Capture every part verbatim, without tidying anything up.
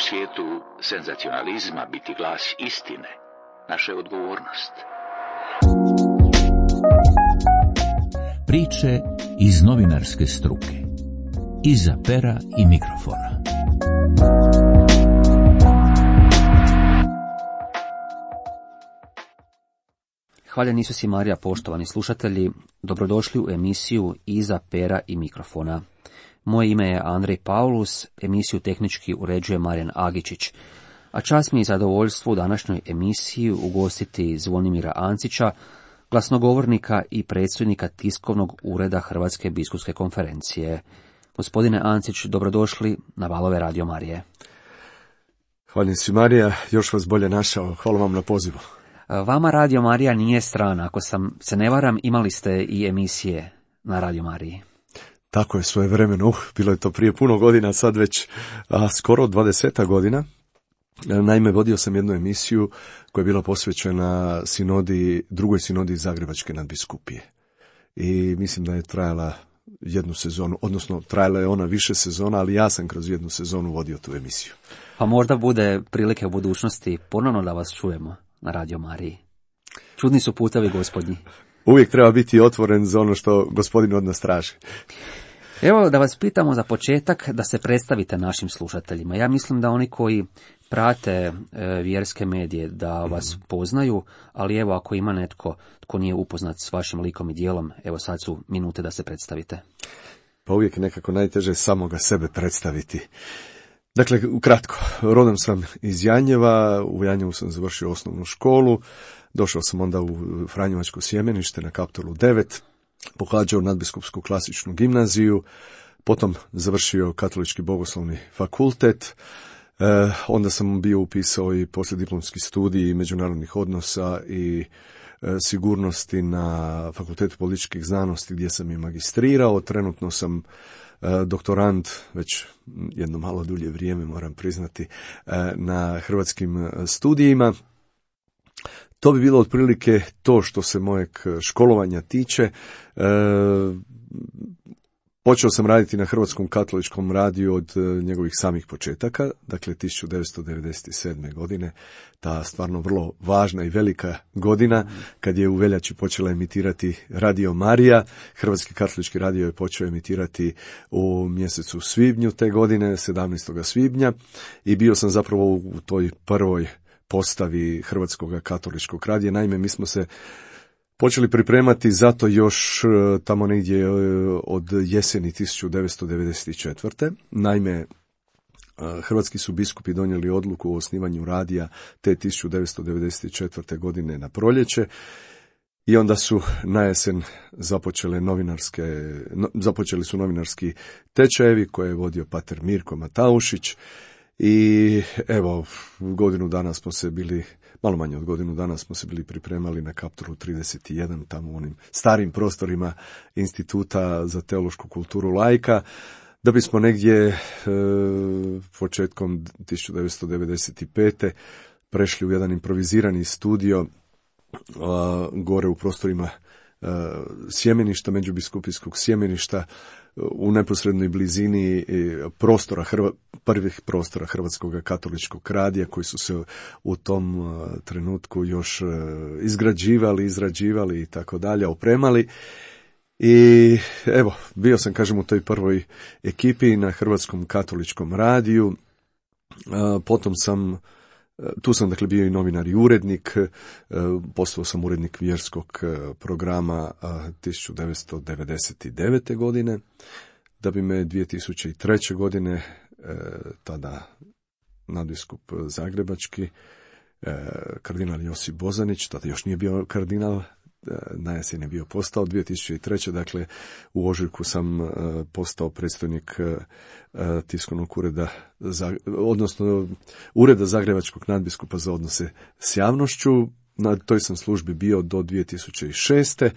svijetu senzacionalizma biti glas istine, naša je odgovornost. Priče iz novinarske struke. Iza pera i mikrofona. Hvaljen Isus i Marija, poštovani slušatelji, dobrodošli u emisiju Iza pera i mikrofona. Moje ime je Andrej Paulus, emisiju tehnički uređuje Marijan Agičić, a čast mi je zadovoljstvo u današnjoj emisiji ugostiti Zvonimira Ancića, glasnogovornika i predstojnika tiskovnog ureda Hrvatske biskupske konferencije. Gospodine Ancić, dobrodošli na valove Radio Marije. Hvala si Marija, još vas bolje našao, hvala vam na pozivu. Vama Radio Marija nije strana, ako sam se ne varam, imali ste i emisije na Radio Mariji. Tako je, svojevremeno, uh, bilo je to prije puno godina, sad već a, skoro dvadeseta godina. Naime, vodio sam jednu emisiju koja je bila posvećena sinodi, drugoj sinodi Zagrebačke nadbiskupije. I mislim da je trajala jednu sezonu, odnosno trajala je ona više sezona, ali ja sam kroz jednu sezonu vodio tu emisiju. Pa možda bude prilike u budućnosti ponovno da vas čujemo na Radio Mariji. Čudni su putevi Gospodnji. Uvijek treba biti otvoren za ono što Gospodin od nas traži. Evo da vas pitamo za početak da se predstavite našim slušateljima. Ja mislim da oni koji prate e, vjerske medije da vas poznaju, ali evo ako ima netko tko nije upoznat s vašim likom i djelom, evo sad su minute da se predstavite. Pa uvijek je nekako najteže samoga sebe predstaviti. Dakle, ukratko, rodom sam iz Janjeva, u Janjevu sam završio osnovnu školu, došao sam onda u Franjevačko sjemenište na Kaptolu devet, pohađao nadbiskupsku klasičnu gimnaziju, potom završio Katolički bogoslovni fakultet, e, onda sam bio upisao i poslijediplomski studij međunarodnih odnosa i e, sigurnosti na Fakultetu političkih znanosti gdje sam i magistrirao. Trenutno sam e, doktorand, već jedno malo dulje vrijeme moram priznati, e, na hrvatskim studijima. To bi bilo otprilike to što se mojeg školovanja tiče. E, počeo sam raditi na Hrvatskom katoličkom radiju od njegovih samih početaka, dakle tisuću devetsto devedeset sedme. godine, ta stvarno vrlo važna i velika godina, kad je u veljači počela emitirati Radio Marija. Hrvatski katolički radio je počeo emitirati u mjesecu svibnju te godine, sedamnaestog svibnja, i bio sam zapravo u toj prvoj postavi Hrvatskog katoličkog radija. Naime, mi smo se počeli pripremati zato još tamo negdje od jeseni tisuću devetsto devedeset četvrte. Naime, hrvatski su biskupi donijeli odluku o osnivanju radija te tisuću devetsto devedeset četvrte. godine na proljeće i onda su na jesen započele novinarske, no, započeli su novinarski tečajevi koje je vodio pater Mirko Mataušić. I evo, godinu dana smo se bili, malo manje od godinu dana smo se bili pripremali na Kaptolu trideset jedan, tamo u onim starim prostorima Instituta za teološku kulturu laika, da bismo negdje e, početkom tisuću devetsto devedeset pete. prešli u jedan improvizirani studio a, gore u prostorima a, sjemeništa, međubiskupijskog sjemeništa, u neposrednoj blizini prostora, prvih prostora Hrvatskog katoličkog radija, koji su se u tom trenutku još izgrađivali, izrađivali i tako dalje, opremali. I evo, bio sam, kažem, u toj prvoj ekipi na Hrvatskom katoličkom radiju. Potom sam, tu sam dakle bio i novinar i urednik, postao sam urednik vjerskog programa tisuću devetsto devedeset devete. godine, da bi me dvije tisuće treće. godine tada nadbiskup zagrebački, kardinal Josip Bozanić, tada još nije bio kardinal, na jesen je bio postao dvije tisuće treće. Dakle, u ožujku sam postao predstojnik tiskovnog ureda, odnosno ureda Zagrebačkog nadbiskupa za odnose s javnošću. Na toj sam službi bio do dvije tisuće šeste.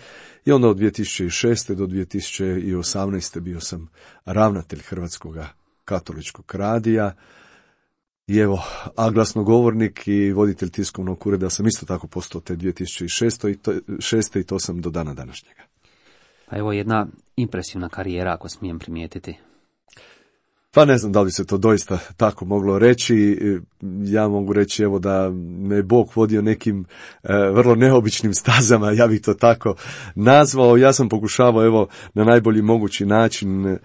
i onda od dvije tisuće šeste. do dvije tisuće osamnaeste. bio sam ravnatelj Hrvatskog katoličkog radija. I evo, a glasnogovornik i voditelj tiskovnog ureda sam isto tako postao te dvije tisuće šeste. i to sam do dana današnjega. Pa evo jedna impresivna karijera, ako smijem primijetiti. Pa ne znam da li se to doista tako moglo reći. Ja mogu reći evo da me Bog vodio nekim e, vrlo neobičnim stazama, ja bih to tako nazvao. Ja sam pokušavao evo na najbolji mogući način e,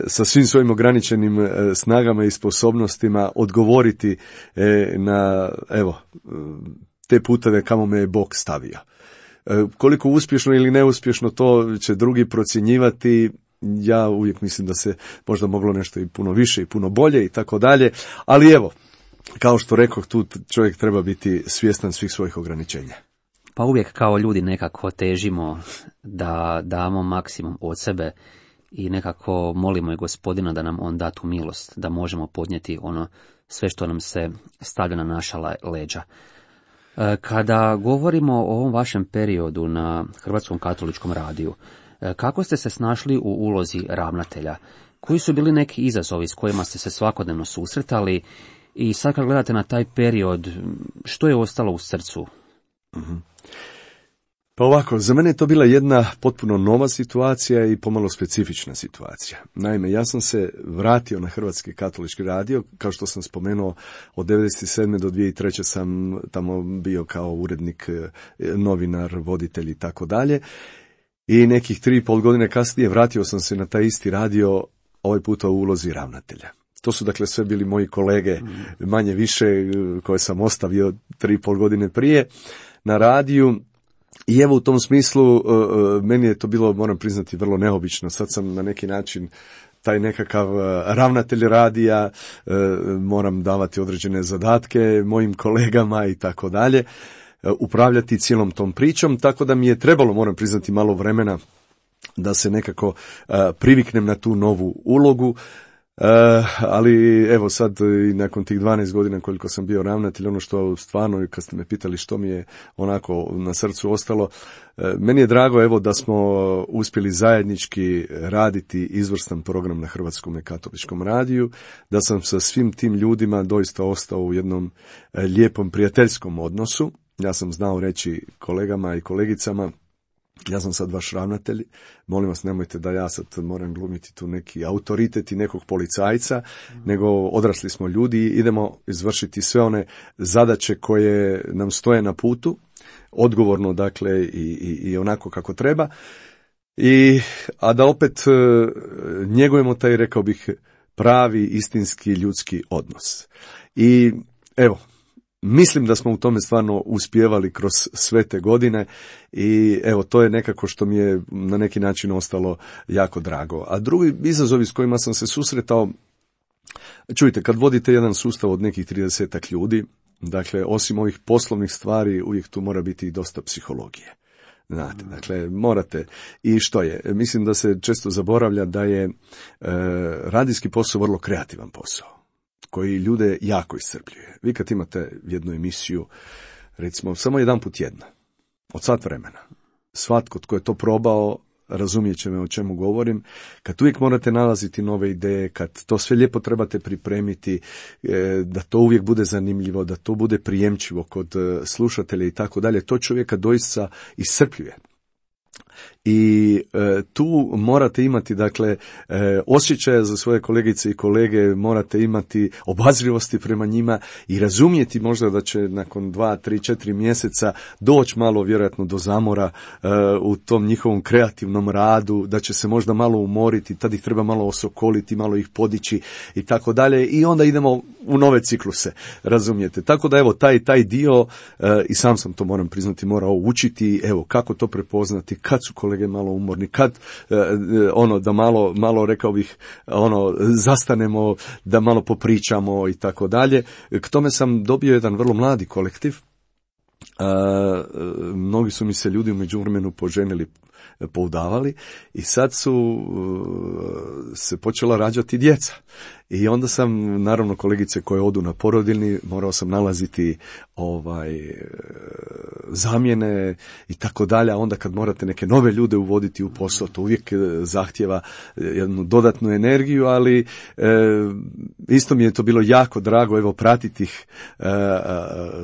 sa svim svojim ograničenim e, snagama i sposobnostima odgovoriti e, na evo te puteve kamo me je Bog stavio. E, koliko uspješno ili neuspješno to će drugi procjenjivati. Ja uvijek mislim da se možda moglo nešto i puno više i puno bolje i tako dalje, ali evo, kao što rekoh, tu čovjek treba biti svjestan svih svojih ograničenja. Pa uvijek kao ljudi nekako težimo da damo maksimum od sebe i nekako molimo i Gospodina da nam on da tu milost, da možemo podnijeti ono sve što nam se stavlja na naša leđa. Kada govorimo o ovom vašem periodu na Hrvatskom katoličkom radiju, kako ste se snašli u ulozi ravnatelja? Koji su bili neki izazovi s kojima ste se svakodnevno susretali? I sad kad gledate na taj period, što je ostalo u srcu? Mm-hmm. Pa ovako, za mene je to bila jedna potpuno nova situacija i pomalo specifična situacija. Naime, ja sam se vratio na Hrvatski katolički radio, kao što sam spomenuo, od devedeset sedme do dvije tisuće treće sam tamo bio kao urednik, novinar, voditelj i tako dalje. I nekih tri i pol godine kasnije vratio sam se na taj isti radio, ovaj puta u ulozi ravnatelja. To su dakle sve bili moji kolege, manje više, koje sam ostavio tri i pol godine prije na radiju. I evo u tom smislu meni je to bilo, moram priznati, vrlo neobično. Sad sam na neki način taj nekakav ravnatelj radija, moram davati određene zadatke mojim kolegama i tako dalje, upravljati cijelom tom pričom, tako da mi je trebalo, moram priznati, malo vremena da se nekako uh, priviknem na tu novu ulogu, uh, ali evo sad i nakon tih dvanaest godina koliko sam bio ravnatelj, ono što stvarno, kad ste me pitali što mi je onako na srcu ostalo, uh, meni je drago evo da smo uspjeli zajednički raditi izvrstan program na Hrvatskom katoličkom radiju, da sam sa svim tim ljudima doista ostao u jednom uh, lijepom prijateljskom odnosu. Ja sam znao reći kolegama i kolegicama, ja sam sad vaš ravnatelj, molim vas nemojte da ja sad moram glumiti tu neki autoritet i nekog policajca, mm. nego odrasli smo ljudi i idemo izvršiti sve one zadaće koje nam stoje na putu, odgovorno dakle i, i, i onako kako treba, I, a da opet njegujemo taj, rekao bih, pravi istinski ljudski odnos. I evo, mislim da smo u tome stvarno uspijevali kroz sve te godine i evo to je nekako što mi je na neki način ostalo jako drago. A drugi izazovi s kojima sam se susretao, čujte, kad vodite jedan sustav od nekih tridesetak ljudi, dakle osim ovih poslovnih stvari uvijek tu mora biti i dosta psihologije. Znate, dakle, morate. I što je? Mislim da se često zaboravlja da je e, radijski posao vrlo kreativan posao, koji ljude jako iscrpljuje. Vi kad imate jednu emisiju, recimo, samo jedan put tjedna, od sat vremena, svatko tko je to probao, razumijet će me o čemu govorim, kad uvijek morate nalaziti nove ideje, kad to sve lijepo trebate pripremiti, da to uvijek bude zanimljivo, da to bude prijemčivo kod slušatelja i tako dalje, to čovjeka doista iscrpljuje. I e, tu morate imati, dakle, e, osjećaja za svoje kolegice i kolege, morate imati obazrivosti prema njima i razumjeti možda da će nakon dva, tri, četiri mjeseca doći malo vjerojatno do zamora e, u tom njihovom kreativnom radu, da će se možda malo umoriti, tad ih treba malo osokoliti, malo ih podići i tako dalje i onda idemo u nove cikluse, razumijete. Tako da evo taj, taj dio, e, i sam sam to moram priznati morao učiti, evo kako to prepoznati, kad su kolege malo umorni, kad e, ono da malo, malo rekao bih, ono zastanemo, da malo popričamo i tako dalje. K tome sam dobio jedan vrlo mladi kolektiv. E, mnogi su mi se ljudi u međuvremenu poženili, poudavali i sad su se počela rađati djeca. I onda sam, naravno, kolegice koje odu na porodiljni, morao sam nalaziti ovaj zamjene i tako dalje, a onda kad morate neke nove ljude uvoditi u posao, to uvijek zahtjeva jednu dodatnu energiju, ali e, isto mi je to bilo jako drago, evo, pratiti ih, e,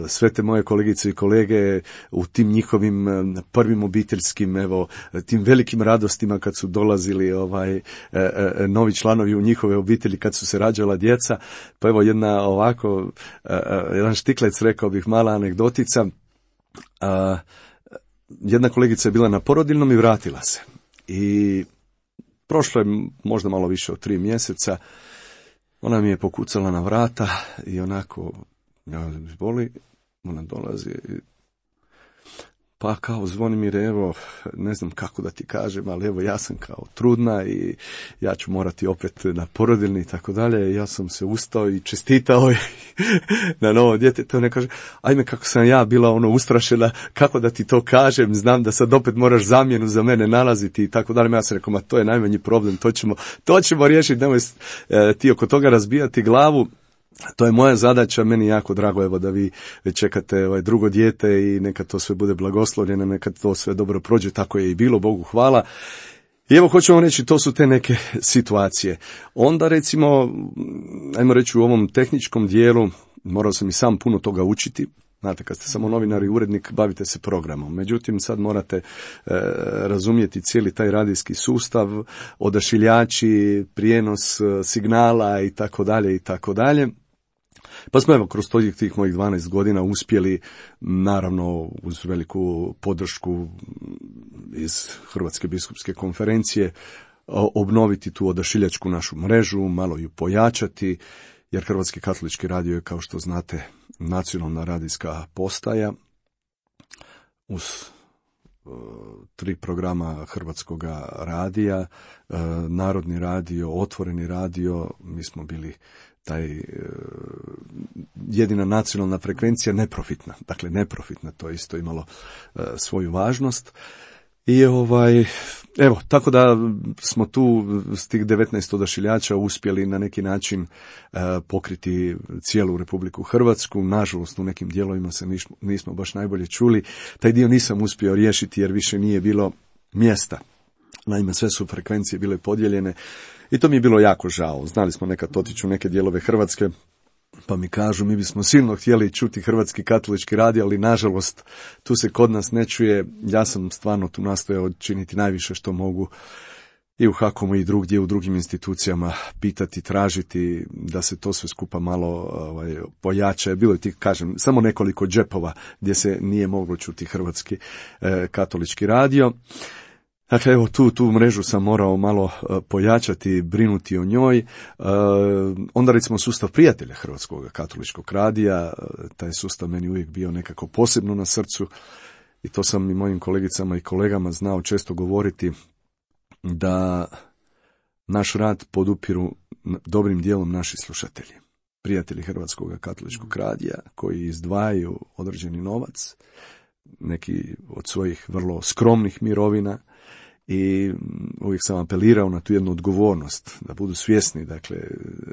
sve te moje kolegice i kolege u tim njihovim prvim obiteljskim, evo, tim velikim radostima kad su dolazili ovaj e, e, novi članovi u njihove obitelji, kad su se rađala djeca. Pa evo jedna ovako, e, e, jedanštiklec, rekao bih, mala anegdotica. A, jedna kolegica je bila na porodiljnom i vratila se. I prošlo je možda malo više od tri mjeseca. Ona mi je pokucala na vrata i onako, ja boli, ona dolazi i pa kao Zvonimir, evo, ne znam kako da ti kažem, ali evo ja sam kao trudna i ja ću morati opet na porodiljni i tako dalje. Ja sam se ustao i čestitao na novo dijete. To ne kaže, ajme kako sam ja bila ono ustrašena, kako da ti to kažem, znam da sad opet moraš zamjenu za mene nalaziti i tako dalje. Ja sam rekao, ma to je najmanji problem, to ćemo, to ćemo riješiti, nemoj e, ti oko toga razbijati glavu. To je moja zadaća, meni jako drago evo da vi čekate ovaj drugo dijete i neka to sve bude blagoslovljeno, neka to sve dobro prođe, tako je i bilo, Bogu hvala. I evo hoćemo reći, to su te neke situacije. Onda recimo, ajmo reći u ovom tehničkom dijelu, morao sam i sam puno toga učiti. Znate, kad ste samo novinar i urednik, bavite se programom. Međutim, sad morate e, razumjeti cijeli taj radijski sustav, odašiljači, prijenos signala i tako dalje i tako dalje. Pa smo evo kroz tih mojih dvanaest godina uspjeli, naravno uz veliku podršku iz Hrvatske biskupske konferencije, obnoviti tu odašiljačku našu mrežu, malo ju pojačati, jer Hrvatski katolički radio je, kao što znate, nacionalna radijska postaja uz uh, tri programa Hrvatskog radija, uh, Narodni radio, Otvoreni radio. Mi smo bili taj uh, jedina nacionalna frekvencija, neprofitna. Dakle, neprofitna, to je isto imalo uh, svoju važnost. I ovaj, evo, tako da smo tu s tih devetnaest odašiljača uspjeli na neki način e, pokriti cijelu Republiku Hrvatsku. Nažalost, u nekim dijelovima se nismo, nismo baš najbolje čuli. Taj dio nisam uspio riješiti jer više nije bilo mjesta. Naime, sve su frekvencije bile podijeljene i to mi je bilo jako žao. Znali smo nekad otići u neke dijelove Hrvatske, pa mi kažu, mi bismo silno htjeli čuti Hrvatski katolički radio, ali nažalost tu se kod nas ne čuje. Ja sam stvarno tu nastojao činiti najviše što mogu i u Hakomu i drugdje, u drugim institucijama, pitati, tražiti da se to sve skupa malo ovaj, pojača. Bilo je ti, kažem, samo nekoliko džepova gdje se nije moglo čuti Hrvatski eh, katolički radio. Dakle, evo, tu, tu mrežu sam morao malo uh, pojačati, brinuti o njoj. Uh, onda recimo sustav prijatelja Hrvatskog katoličkog radija, uh, taj sustav meni uvijek bio nekako posebno na srcu i to sam i mojim kolegicama i kolegama znao često govoriti, da naš rad podupiru dobrim dijelom naši slušatelji, prijatelji Hrvatskog katoličkog radija, koji izdvajaju određeni novac, neki od svojih vrlo skromnih mirovina. I uvijek sam apelirao na tu jednu odgovornost, da budu svjesni, dakle,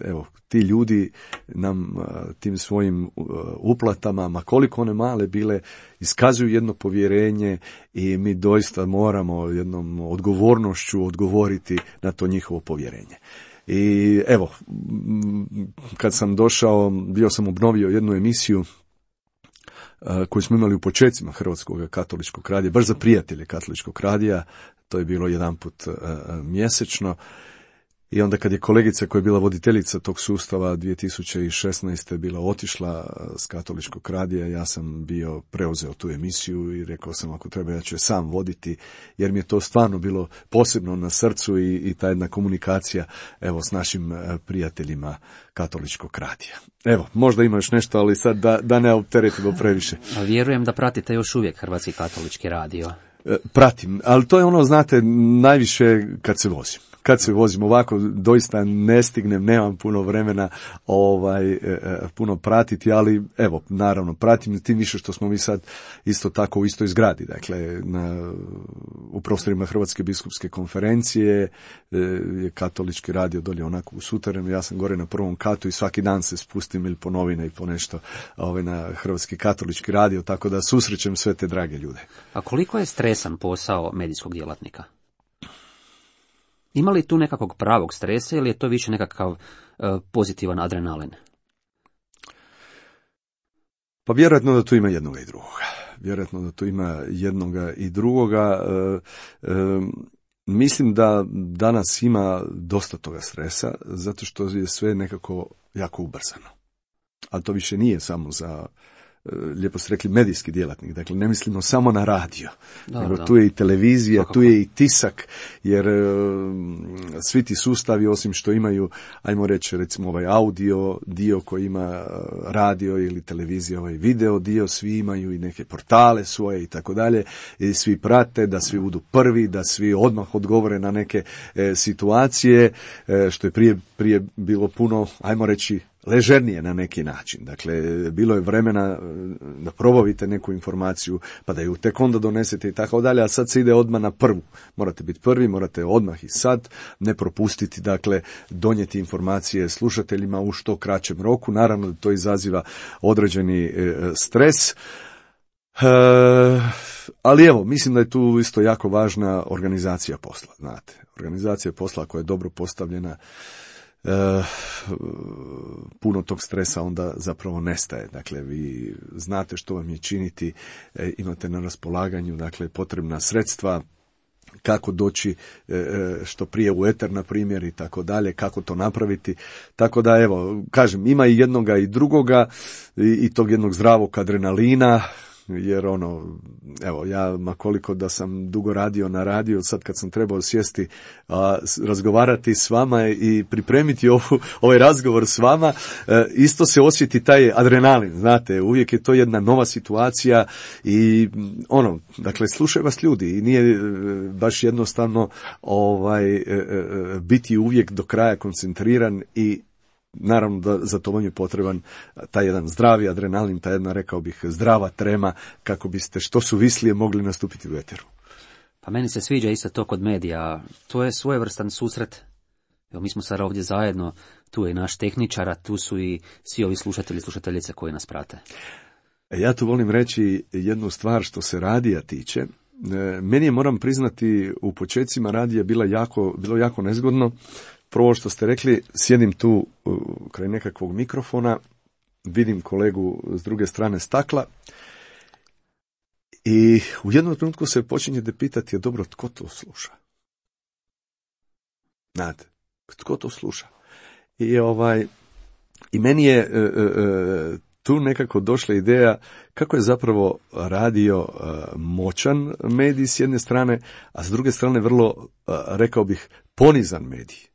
evo, ti ljudi nam tim svojim uplatama, ma koliko one male bile, iskazuju jedno povjerenje i mi doista moramo jednom odgovornošću odgovoriti na to njihovo povjerenje. I evo, kad sam došao, bio sam obnovio jednu emisiju koju smo imali u počecima Hrvatskog katoličkog radija, baš za prijatelje katoličkog radija. To je bilo jedan put uh, mjesečno. I onda kad je kolegica koja je bila voditeljica tog sustava dvije tisuće šesnaeste bila otišla s katoličkog radija, ja sam bio preuzeo tu emisiju i rekao sam, ako treba ja ću je sam voditi, jer mi je to stvarno bilo posebno na srcu i, i ta jedna komunikacija evo s našim prijateljima katoličkog radija. Evo, možda ima još nešto, ali sad da, da ne opteretimo previše. Vjerujem da pratite još uvijek Hrvatski katolički radio. Pratim, ali to je ono, znate, najviše kad se vozim. Kad se vozim ovako, doista ne stignem, nemam puno vremena ovaj, e, puno pratiti, ali evo, naravno, pratim tim više što smo mi sad isto tako u istoj zgradi, dakle, na, u prostorima Hrvatske biskupske konferencije, e, je katolički radio dolje onako u suterenu, ja sam gore na prvom katu i svaki dan se spustim ili po novine i po nešto ovaj, na Hrvatski katolički radio, tako da susrećem sve te drage ljude. A koliko je stresan posao medijskog djelatnika? Ima li tu nekakvog pravog stresa ili je to više nekakav uh, pozitivan adrenalin? Pa vjerojatno da tu ima jednoga i drugoga. vjerojatno da tu ima jednoga i drugoga. E, e, mislim da danas ima dosta toga stresa, zato što je sve nekako jako ubrzano. Ali to više nije samo za, lijepo ste rekli, medijski djelatnik. Dakle, ne mislimo samo na radio, da, nego da. Tu je i televizija, Svakako. Tu je i tisak, jer e, svi ti sustavi, osim što imaju, ajmo reći, recimo ovaj audio dio koji ima radio ili televizija, ovaj video dio, svi imaju i neke portale svoje i tako dalje, i svi prate da svi budu prvi, da svi odmah odgovore na neke e, situacije, e, što je prije, prije bilo puno, ajmo reći, ležernije na neki način. Dakle, bilo je vremena da probavite neku informaciju, pa da ju tek onda donesete i tako dalje, a sad se ide odmah na prvu. Morate biti prvi, morate odmah i sad ne propustiti, dakle, donijeti informacije slušateljima u što kraćem roku. Naravno da to izaziva određeni e, stres. E, ali evo, mislim da je tu isto jako važna organizacija posla, znate. Organizacija posla koja je dobro postavljena, Uh, puno tog stresa onda zapravo nestaje. Dakle, vi znate što vam je činiti, e, imate na raspolaganju, dakle, potrebna sredstva, kako doći e, što prije u eter, na primjer, i tako dalje, kako to napraviti. Tako da, evo, kažem, ima i jednoga i drugoga, i, i tog jednog zdravog adrenalina, jer ono, evo, ja makoliko da sam dugo radio na radiju, sad kad sam trebao sjesti, a, razgovarati s vama i pripremiti ovu, ovaj razgovor s vama, e, isto se osjeti taj adrenalin, znate, uvijek je to jedna nova situacija i ono, dakle, slušaju vas ljudi i nije e, baš jednostavno ovaj, e, e, biti uvijek do kraja koncentriran i naravno da za to vam je potreban taj jedan zdravi adrenalin, ta jedna, rekao bih, zdrava trema, kako biste što suvislije mogli nastupiti u eteru. Pa meni se sviđa isto to kod medija. To je svojevrstan susret. Evo, mi smo sad ovdje zajedno, tu je naš tehničar, a tu su i svi ovi slušatelji i slušateljice koji nas prate. Ja tu volim reći jednu stvar što se radija tiče. Meni je, moram priznati, u početcima radija bila jako, bilo jako nezgodno. Prvo što ste rekli, sjedim tu kraj nekakvog mikrofona, vidim kolegu s druge strane stakla i u jednom trenutku se počinjete pitati, je dobro, tko to sluša? Znate, tko to sluša? I, ovaj, i meni je e, e, tu nekako došla ideja kako je zapravo radio e, moćan medij s jedne strane, a s druge strane vrlo, e, rekao bih, ponizan medij.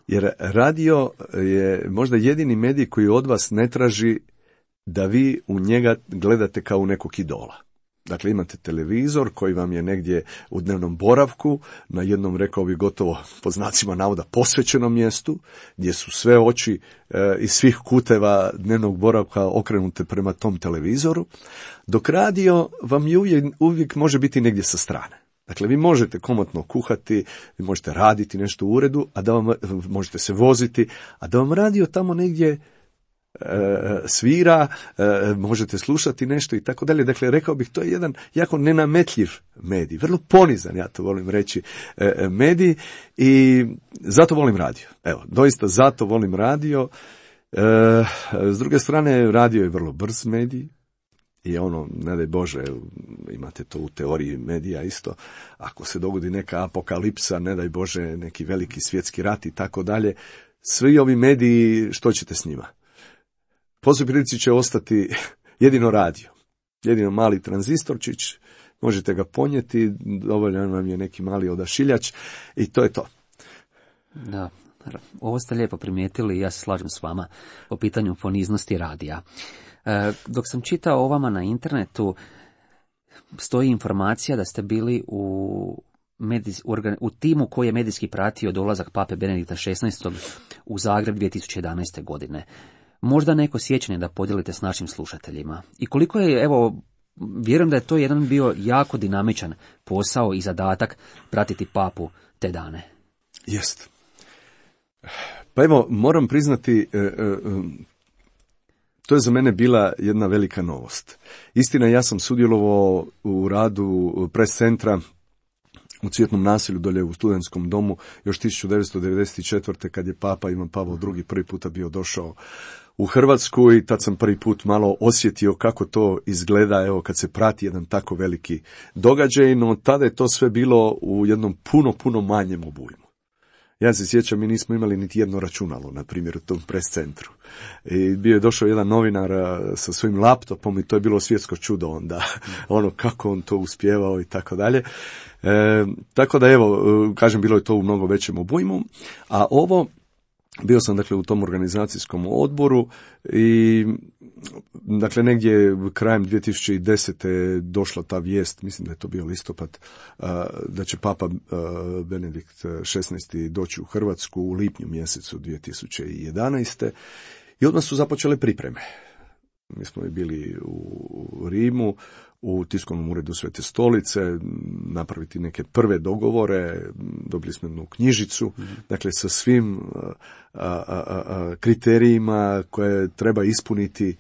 Jer radio je možda jedini medij koji od vas ne traži da vi u njega gledate kao u nekog idola. Dakle, imate televizor koji vam je negdje u dnevnom boravku, na jednom, rekao bih, gotovo po znacima navoda posvećenom mjestu, gdje su sve oči e, iz svih kuteva dnevnog boravka okrenute prema tom televizoru, dok radio vam je uvijek, uvijek može biti negdje sa strane. Dakle, vi možete komotno kuhati, vi možete raditi nešto u uredu, a da vam, možete se voziti, a da vam radio tamo negdje e, svira, e, možete slušati nešto i tako dalje. Dakle, rekao bih, to je jedan jako nenametljiv medij, vrlo ponizan, ja to volim reći, e, medij, i zato volim radio. Evo, doista zato volim radio. E, s druge strane, radio je vrlo brz medij. I ono, ne daj Bože, imate to u teoriji medija isto, ako se dogodi neka apokalipsa, ne daj Bože, neki veliki svjetski rat i tako dalje, svi ovi mediji, što ćete s njima? Po svoj prilici će ostati jedino radio, jedino mali tranzistorčić, možete ga ponijeti, dovoljan vam je neki mali odašiljač i to je to. Da, ovo ste lijepo primijetili i ja se slažem s vama po pitanju poniznosti radija. Dok sam čitao o vama na internetu, stoji informacija da ste bili u, medijs, u timu koji je medijski pratio dolazak pape Benedikta šesnaestog u Zagreb dvije tisuće jedanaeste. godine. Možda neko sjećanje da podijelite s našim slušateljima. I koliko je, evo, vjerujem da je to jedan bio jako dinamičan posao i zadatak pratiti papu te dane. Jest. Pa evo, moram priznati, e, e, to je za mene bila jedna velika novost. Istina, ja sam sudjelovao u radu pres centra u Cvjetnom naselju dolje u Studentskom domu još tisuću devetsto devedeset četvrte. kad je papa Ivan Pavao drugi prvi puta bio došao u Hrvatsku i tad sam prvi put malo osjetio kako to izgleda, evo, kad se prati jedan tako veliki događaj, no tada je to sve bilo u jednom puno, puno manjem obujmu. Ja se sjećam, mi nismo imali niti jedno računalo, na primjer, u tom pres centru. I bio je došao jedan novinar sa svojim laptopom i to je bilo svjetsko čudo onda, ono kako on to uspjevao i tako dalje. E, tako da evo, kažem, bilo je to u mnogo većem obujmu, a ovo, bio sam dakle u tom organizacijskom odboru i dakle negdje krajem dvije tisuće desete došla ta vijest, mislim da je to bio listopad, da će Papa Benedikt šesnaesti doći u Hrvatsku u lipnju mjesecu dvije tisuće jedanaeste i odmah su započele pripreme. Mi smo bili u Rimu, u tiskovnom uredu Svete stolice, napraviti neke prve dogovore, dobili smo jednu knjižicu, mm. dakle sa svim a, a, a, kriterijima koje treba ispuniti e,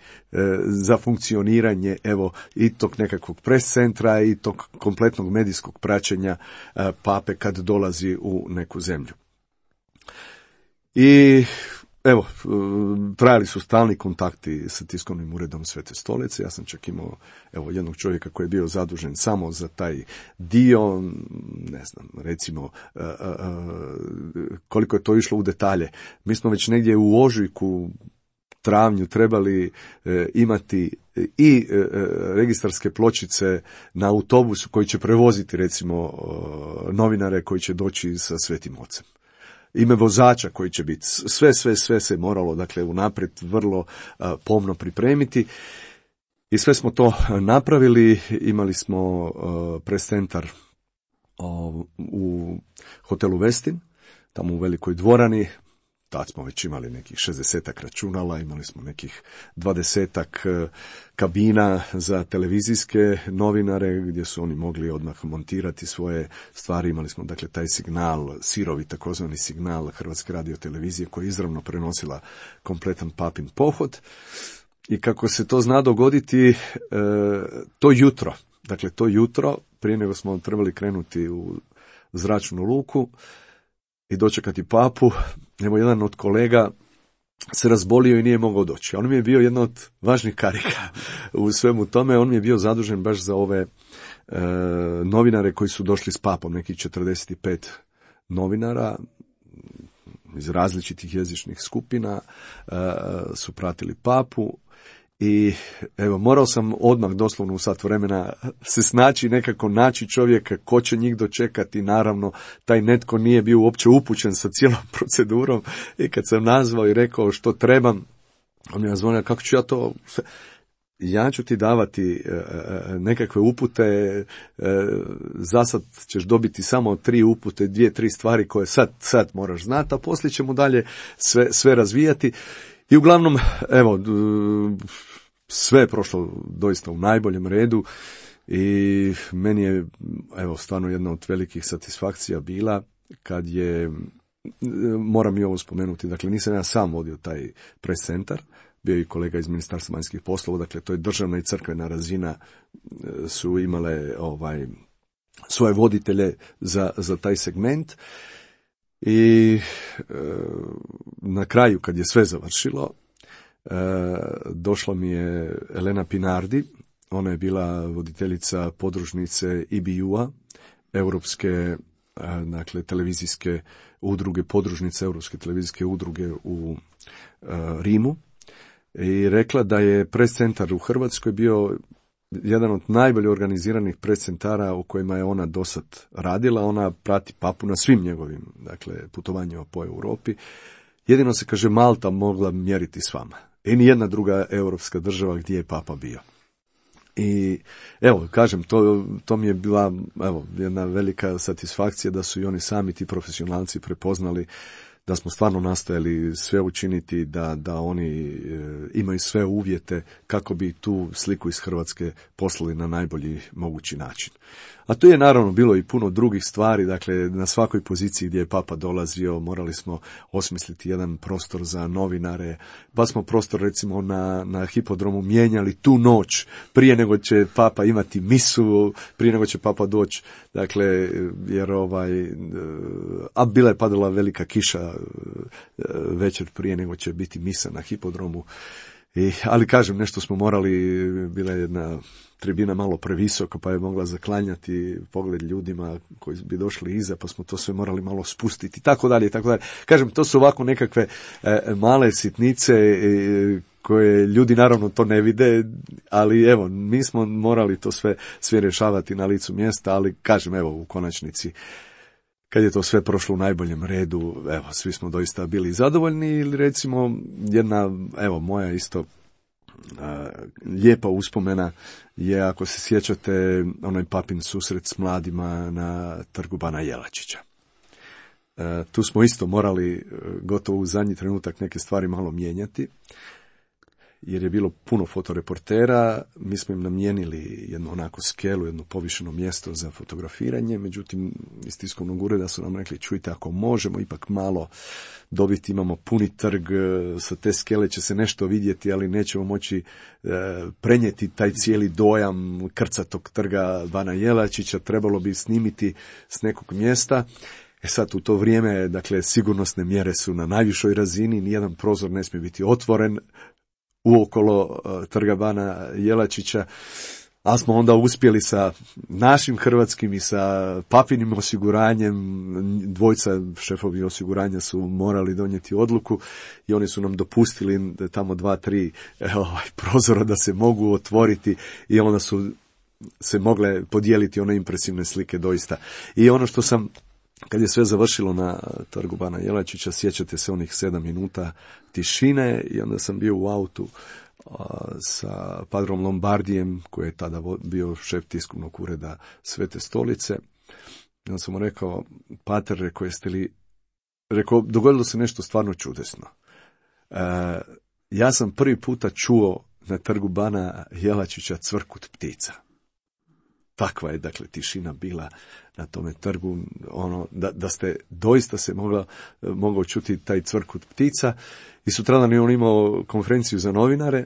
za funkcioniranje evo i tog nekakvog pres centra i tog kompletnog medijskog praćenja a, pape kad dolazi u neku zemlju. I evo, trajali su stalni kontakti sa tiskovnim uredom Svete stolice. Ja sam čak imao evo, jednog čovjeka koji je bio zadužen samo za taj dio, ne znam, recimo a, a, a, koliko je to išlo u detalje. Mi smo već negdje u ožujku, travnju trebali e, imati i e, registarske pločice na autobusu koji će prevoziti recimo e, novinare koji će doći sa Svetim Ocem. Ime vozača koji će biti, sve, sve, sve se moralo, dakle, unaprijed vrlo a, pomno pripremiti. I sve smo to napravili, imali smo a, pres centar u hotelu Westin, tamo u velikoj dvorani. Tad smo već imali nekih šezdesetak računala, imali smo nekih dvadesetak kabina za televizijske novinare gdje su oni mogli odmah montirati svoje stvari. Imali smo dakle taj signal, sirovi takozvani signal Hrvatske radiotelevizije koja je izravno prenosila kompletan papin pohod. I kako se to zna dogoditi, to jutro, dakle to jutro, prije nego smo trebali krenuti u zračnu luku i dočekati papu, evo jedan od kolega se razbolio i nije mogao doći. On mi je bio jedna od važnih karika u svemu tome. On mi je bio zadužen baš za ove e, novinare koji su došli s papom, nekih četrdeset pet novinara iz različitih jezičnih skupina e, su pratili papu. I evo, morao sam odmah doslovno u sat vremena se snaći, nekako naći čovjeka ko će njih dočekati. Naravno, taj netko nije bio uopće upućen sa cijelom procedurom i kad sam nazvao i rekao što trebam, on mi je zvonio kako ću ja to... Ja ću ti davati nekakve upute, za sad ćeš dobiti samo tri upute, dvije, tri stvari koje sad, sad moraš znati, a poslije ćemo dalje sve, sve razvijati. I uglavnom, evo, sve je prošlo doista u najboljem redu i meni je, evo, stvarno jedna od velikih satisfakcija bila kad je, moram i ovo spomenuti, dakle nisam ja sam vodio taj pres centar, bio i kolega iz Ministarstva vanjskih poslova, dakle to je državna i crkvena razina, su imale ovaj svoje voditelje za, za taj segment. I e, na kraju, kad je sve završilo, e, došla mi je Elena Pinardi, ona je bila voditeljica podružnice I B U-a, Europske e, dakle, televizijske udruge, podružnice Europske televizijske udruge u e, Rimu, i rekla da je pres centar u Hrvatskoj bio jedan od najbolje organiziranih pres centara u kojima je ona dosad radila. Ona prati papu na svim njegovim, dakle, putovanjima po Europi. Jedino se, kaže, Malta mogla mjeriti s vama. I nijedna druga europska država gdje je papa bio. I evo, kažem, to, to mi je bila evo, jedna velika satisfakcija da su i oni sami, ti profesionalci, prepoznali da smo stvarno nastojali sve učiniti, da, da oni e, imaju sve uvjete kako bi tu sliku iz Hrvatske poslali na najbolji mogući način. A tu je naravno bilo i puno drugih stvari, dakle na svakoj poziciji gdje je papa dolazio morali smo osmisliti jedan prostor za novinare, pa smo prostor recimo na, na hipodromu mijenjali tu noć prije nego će papa imati misu, prije nego će papa doći, dakle jer ovaj, a bila je padala velika kiša večer prije nego će biti misa na hipodromu. I, ali kažem, nešto smo morali, bila je jedna tribina malo previsoko pa je mogla zaklanjati pogled ljudima koji bi došli iza, pa smo to sve morali malo spustiti i tako dalje i tako dalje. Kažem, to su ovako nekakve e, male sitnice e, koje ljudi naravno to ne vide, ali evo, mi smo morali to sve, sve rješavati na licu mjesta, ali kažem, evo, u konačnici kad je to sve prošlo u najboljem redu, evo, svi smo doista bili zadovoljni. Ili recimo jedna, evo, moja isto a, lijepa uspomena je, ako se sjećate, onaj papin susret s mladima na trgu Bana Jelačića. E, tu smo isto morali gotovo u zadnji trenutak neke stvari malo mijenjati, jer je bilo puno fotoreportera, mi smo im namijenili jednu onako skelu, jedno povišeno mjesto za fotografiranje, međutim iz tiskovnog ureda su nam rekli, čujte, ako možemo ipak malo dobiti, imamo puni trg, sa te skele će se nešto vidjeti, ali nećemo moći e, prenijeti taj cijeli dojam krcatog trga Bana Jelačića, trebalo bi snimiti s nekog mjesta. E sad, u to vrijeme, dakle, sigurnosne mjere su na najvišoj razini, nijedan prozor ne smije biti otvoren uokolo uh, trga Bana Jelačića, a smo onda uspjeli sa našim hrvatskim i sa papinim osiguranjem, dvojca šefovi osiguranja su morali donijeti odluku i oni su nam dopustili tamo dva, tri ovaj, prozora da se mogu otvoriti i onda su se mogle podijeliti one impresivne slike doista. I ono što sam, kad je sve završilo na trgu Bana Jelačića, sjećate se onih sedam minuta tišine i onda sam bio u autu a, sa padrom Lombardijem, koji je tada bio šef tiskovnog ureda Svete stolice. I onda sam mu rekao, pater, rekao, jeste li, rekao, dogodilo se nešto stvarno čudesno. E, ja sam prvi puta čuo na trgu Bana Jelačića cvrkut ptica. Takva je, dakle, tišina bila na tome trgu, ono, da, da ste doista se mogla, mogao čuti taj cvrkut ptica. I sutradan je on imao konferenciju za novinare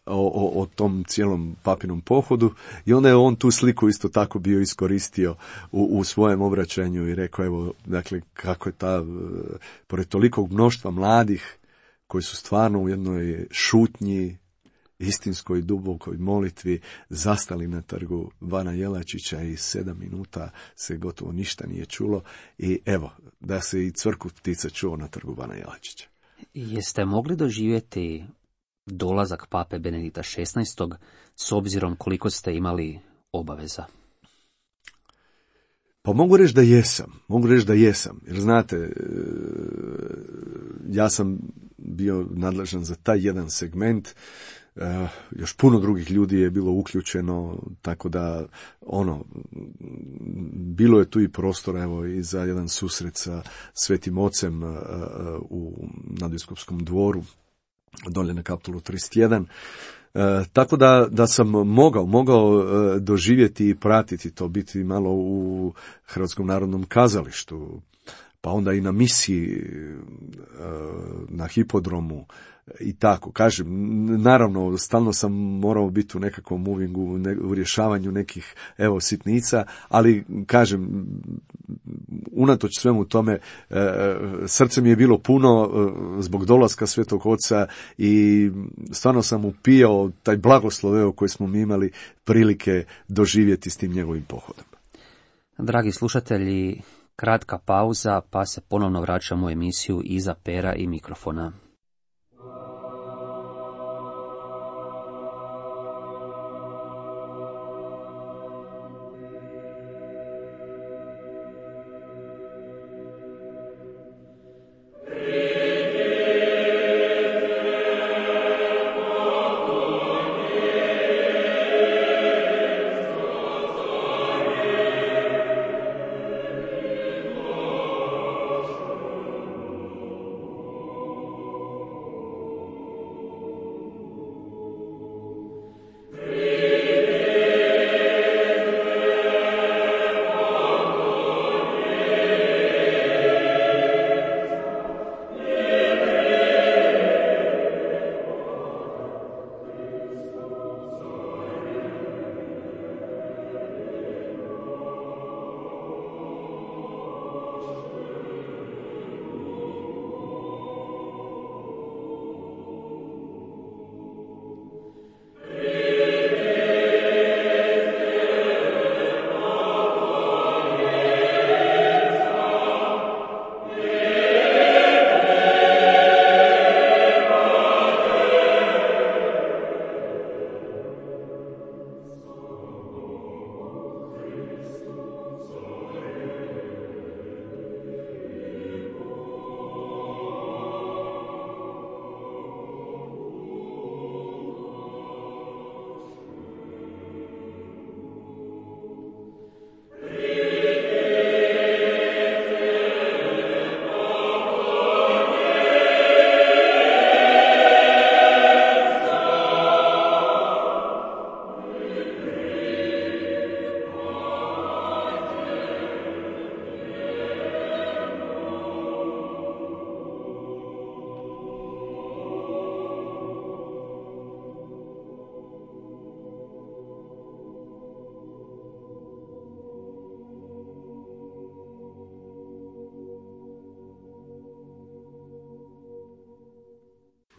o, o, o tom cijelom papinom pohodu i onda je on tu sliku isto tako bio iskoristio u, u svojem obraćanju i rekao, evo, dakle, kako je ta, pored tolikog mnoštva mladih koji su stvarno u jednoj šutnji, istinskoj dubokoj molitvi zastali na trgu Bana Jelačića i sedam minuta se gotovo ništa nije čulo i evo, da se i cvrkut ptica čuo na trgu Bana Jelačića. Jeste mogli doživjeti dolazak pape Benedikta šesnaestog s obzirom koliko ste imali obaveza? Pa mogu reći da jesam, mogu reći da jesam, jer znate, ja sam bio nadležan za taj jedan segment, Uh, još puno drugih ljudi je bilo uključeno, tako da ono, bilo je tu i prostora, evo, i za jedan susret sa Svetim Ocem uh, u Nadbiskupskom dvoru, dolje na Kaptolu trideset jedan. Uh, tako da, da sam mogao, mogao uh, doživjeti i pratiti to, biti malo u Hrvatskom narodnom kazalištu, pa onda i na misiji, uh, na hipodromu, i tako, kažem, naravno, stalno sam morao biti u nekakvom movingu, ne, u rješavanju nekih, evo, sitnica, ali, kažem, unatoč svemu tome, e, srce mi je bilo puno e, zbog dolaska Svetog Oca i stvarno sam upijao taj blagoslov, evo, koji smo mi imali prilike doživjeti s tim njegovim pohodom. Dragi slušatelji, kratka pauza, pa se ponovno vraćamo u emisiju Iza pera i mikrofona.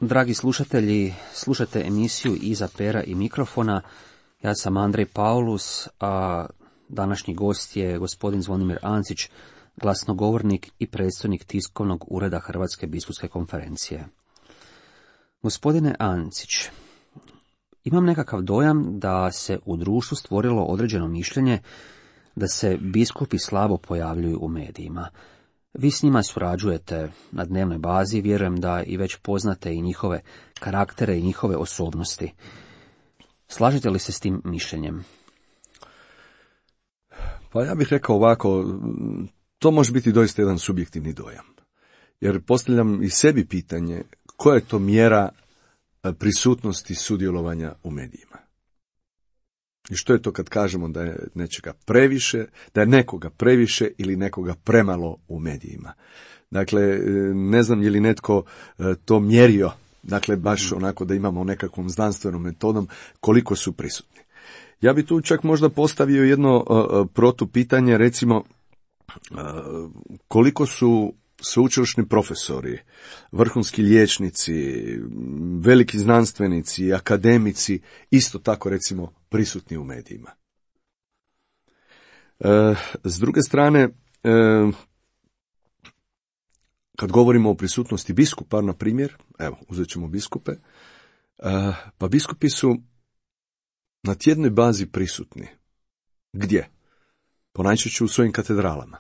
Dragi slušatelji, slušate emisiju Iza pera i mikrofona. Ja sam Andrej Paulus, a današnji gost je gospodin Zvonimir Ancić, glasnogovornik i predstojnik tiskovnog ureda Hrvatske biskupske konferencije. Gospodine Ancić, imam nekakav dojam da se u društvu stvorilo određeno mišljenje da se biskupi slabo pojavljuju u medijima. Vi s njima surađujete na dnevnoj bazi, vjerujem da i već poznate i njihove karaktere i njihove osobnosti. Slažete li se s tim mišljenjem? Pa ja bih rekao ovako, to može biti doista jedan subjektivni dojam. Jer postavljam i sebi pitanje, koja je to mjera prisutnosti sudjelovanja u medijima? I što je to kad kažemo da je nečega previše, da je nekoga previše ili nekoga premalo u medijima? Dakle, ne znam je li netko to mjerio, dakle baš onako da imamo nekakvom znanstvenom metodom koliko su prisutni. Ja bi tu čak možda postavio jedno uh, protupitanje, recimo uh, koliko su sveučilišni profesori, vrhunski liječnici, veliki znanstvenici, akademici, isto tako recimo prisutni u medijima. E, s druge strane, e, kad govorimo o prisutnosti biskupa, na primjer, evo, uzet ćemo biskupe, e, pa biskupi su na tjednoj bazi prisutni. Gdje? Ponajčešće u svojim katedralama.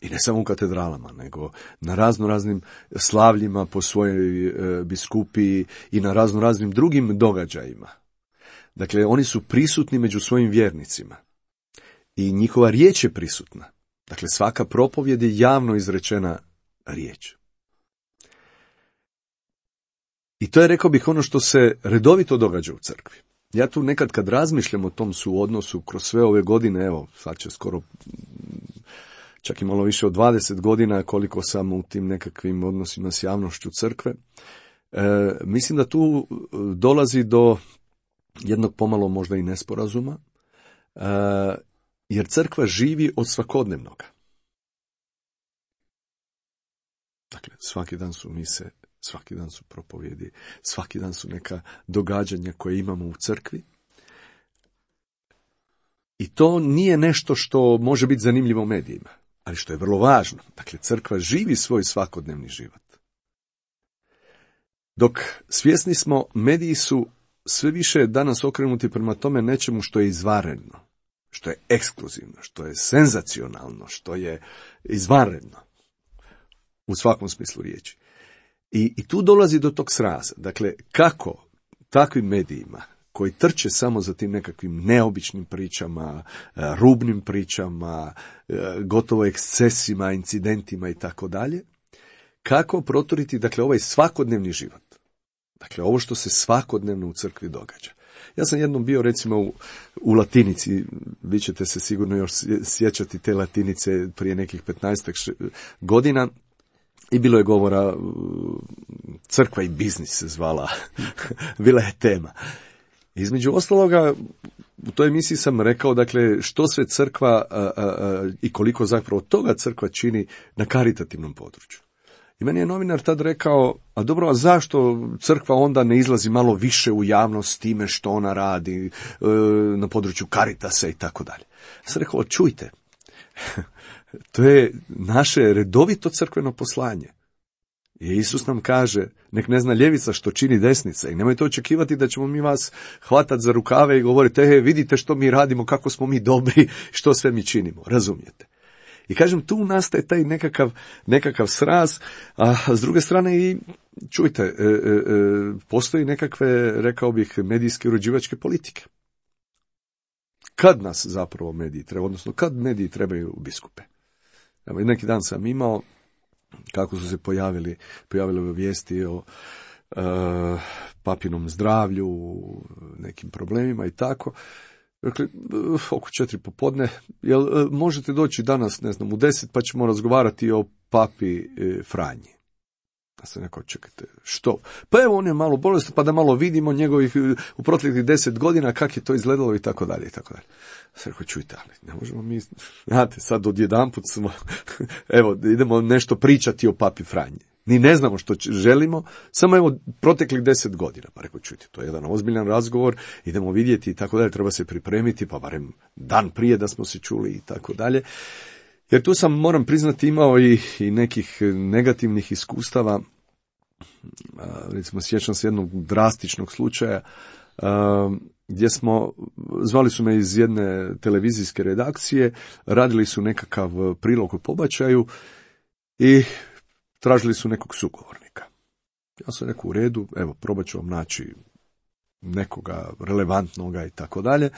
I ne samo u katedralama, nego na razno raznim slavljima po svojoj e, biskupiji i na razno raznim drugim događajima. Dakle, oni su prisutni među svojim vjernicima. I njihova riječ je prisutna. Dakle, svaka propovjed je javno izrečena riječ. I to je, rekao bih, ono što se redovito događa u crkvi. Ja tu nekad kad razmišljam o tom suodnosu kroz sve ove godine, evo, sad će skoro čak i malo više od dvadeset godina koliko sam u tim nekakvim odnosima s javnošću crkve, e, mislim da tu dolazi do jednog pomalo možda i nesporazuma, e, jer crkva živi od svakodnevnoga. Dakle, svaki dan su mise, svaki dan su propovjedi, svaki dan su neka događanja koje imamo u crkvi. I to nije nešto što može biti zanimljivo u medijima, ali što je vrlo važno. Dakle, crkva živi svoj svakodnevni život. Dok svjesni smo, mediji su sve više danas okrenuti prema tome nečemu što je izvanredno, što je ekskluzivno, što je senzacionalno, što je izvanredno u svakom smislu riječi. I, i tu dolazi do tog sraza. Dakle, kako takvim medijima koji trče samo za tim nekakvim neobičnim pričama, rubnim pričama, gotovo ekscesima, incidentima i tako dalje, kako proturiti, dakle, ovaj svakodnevni život. Dakle, ovo što se svakodnevno u crkvi događa. Ja sam jednom bio, recimo, u, u Latinici, vi ćete se sigurno još sjećati te Latinice prije nekih petnaestak godina, i bilo je govora, crkva i biznis se zvala, bila je tema. Između ostaloga, u toj emisiji sam rekao, dakle, što sve crkva a, a, a, i koliko zapravo toga crkva čini na karitativnom području. I meni je novinar tad rekao, a dobro, a zašto crkva onda ne izlazi malo više u javnost s time što ona radi e, na području karitasa i tako dalje. Ja sam rekao, čujte, to je naše redovito crkveno poslanje. I Isus nam kaže, nek ne zna ljevica što čini desnica, i nemojte očekivati da ćemo mi vas hvatati za rukave i govoriti, e, vidite što mi radimo, kako smo mi dobri, što sve mi činimo, razumijete? I kažem, tu nastaje taj nekakav, nekakav sraz, a s druge strane i, čujte, e, e, postoji nekakve, rekao bih, medijske uređivačke politike. Kad nas zapravo mediji treba, odnosno kad mediji trebaju biskupe? Evo, neki dan sam imao, kako su se pojavili, pojavile vijesti o e, papinom zdravlju, nekim problemima i tako. Dakle, oko četiri popodne, jel možete doći danas, ne znam, u deset, pa ćemo razgovarati o papi e, Franji. Ja sam rekao, čekajte, što? Pa evo, on je malo bolestan, pa da malo vidimo njegovih u proteklih deset godina, kak je to izgledalo i tako dalje i tako dalje. Ja sam rekao, čujte, ali ne možemo mi, znate, sad odjedanput smo, evo, idemo nešto pričati o papi Franji. Ni ne znamo što želimo, samo evo proteklih deset godina. Pa rekao, čujte, to je jedan ozbiljan razgovor, idemo vidjeti i tako dalje, treba se pripremiti, pa barem dan prije da smo se čuli i tako dalje. Jer tu sam, moram priznati, imao i, i nekih negativnih iskustava. Recimo, sjećam se jednog drastičnog slučaja gdje smo, zvali su me iz jedne televizijske redakcije, radili su nekakav prilog o pobačaju i tražili su nekog sugovornika. Ja sam rekao, u redu, evo, probat ću vam naći nekoga relevantnoga i tako dalje.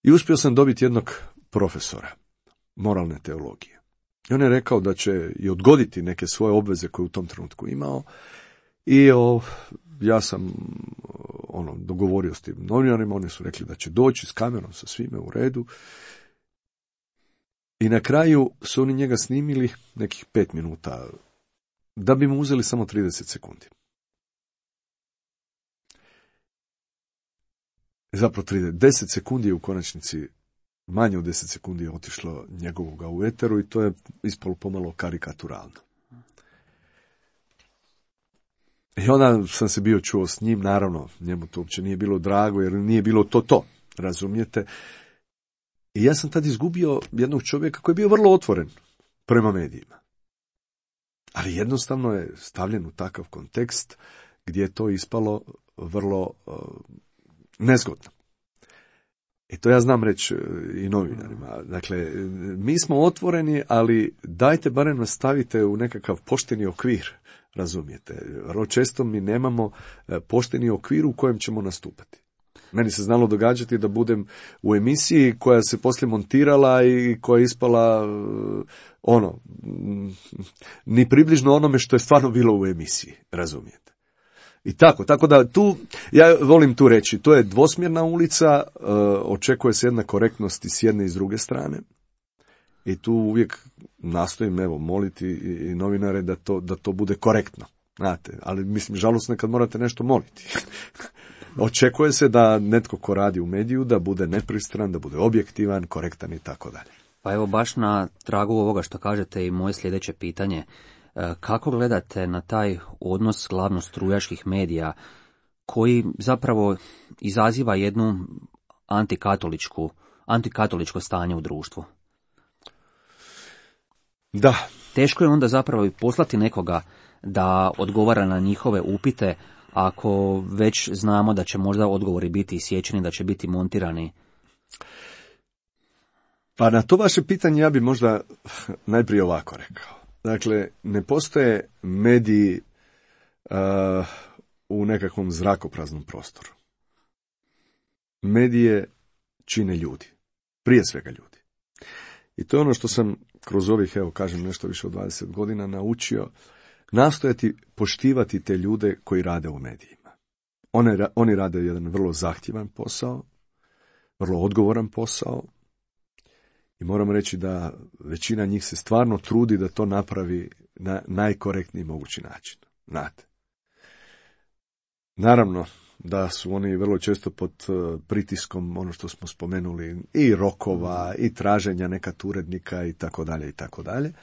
I uspio sam dobiti jednog profesora moralne teologije. I on je rekao da će i odgoditi neke svoje obveze koje u tom trenutku imao. I o, ja sam ono, dogovorio s tim novinarima, oni su rekli da će doći s kamerom, sa svime u redu. I na kraju su oni njega snimili nekih pet minuta, da bi mu uzeli samo trideset sekundi. Zapravo trideset, deset sekundi je u konačnici, manje od deset sekundi je otišlo njegovoga u eteru i to je ispalo pomalo karikaturalno. I onda sam se bio čuo s njim, naravno, njemu to uopće nije bilo drago, jer nije bilo to to, razumijete. I ja sam tad izgubio jednog čovjeka koji je bio vrlo otvoren prema medijima. Ali jednostavno je stavljen u takav kontekst gdje je to ispalo vrlo uh, nezgodno. I to ja znam reći i novinarima. Dakle, mi smo otvoreni, ali dajte barem nas stavite u nekakav pošteni okvir, razumijete. Vrlo često mi nemamo pošteni okvir u kojem ćemo nastupati. Meni se znalo događati da budem u emisiji koja se poslije montirala i koja je ispala ono, ni približno onome što je stvarno bilo u emisiji, razumijete. I tako, tako da tu, ja volim tu reći, to je dvosmjerna ulica, uh, očekuje se jedna korektnost i s jedne i s druge strane. I tu uvijek nastojim, evo, moliti i, i novinare da to, da to bude korektno. Znate, ali mislim, žalosno je kad morate nešto moliti. Očekuje se da netko ko radi u mediju, da bude nepristran, da bude objektivan, korektan i tako dalje. Pa evo, baš na tragu ovoga što kažete i moje sljedeće pitanje. Kako gledate na taj odnos glavno strujaških medija koji zapravo izaziva jednu antikatoličku, antikatoličko stanje u društvu? Da. Teško je onda zapravo i poslati nekoga da odgovara na njihove upite, ako već znamo da će možda odgovori biti isječeni, da će biti montirani. Pa na to vaše pitanje ja bi možda najprije ovako rekao. Dakle, ne postoje mediji uh, u nekakvom zrakopraznom prostoru. Medije čine ljudi. Prije svega ljudi. I to je ono što sam kroz ovih, evo kažem, nešto više od dvadeset godina naučio, nastojati poštivati te ljude koji rade u medijima. One, oni rade jedan vrlo zahtjevan posao, vrlo odgovoran posao, i moram reći da većina njih se stvarno trudi da to napravi na najkorektniji mogući način. Znate. Naravno da su oni vrlo često pod pritiskom, ono što smo spomenuli, i rokova, i traženja nekad urednika i tako dalje i tako dalje.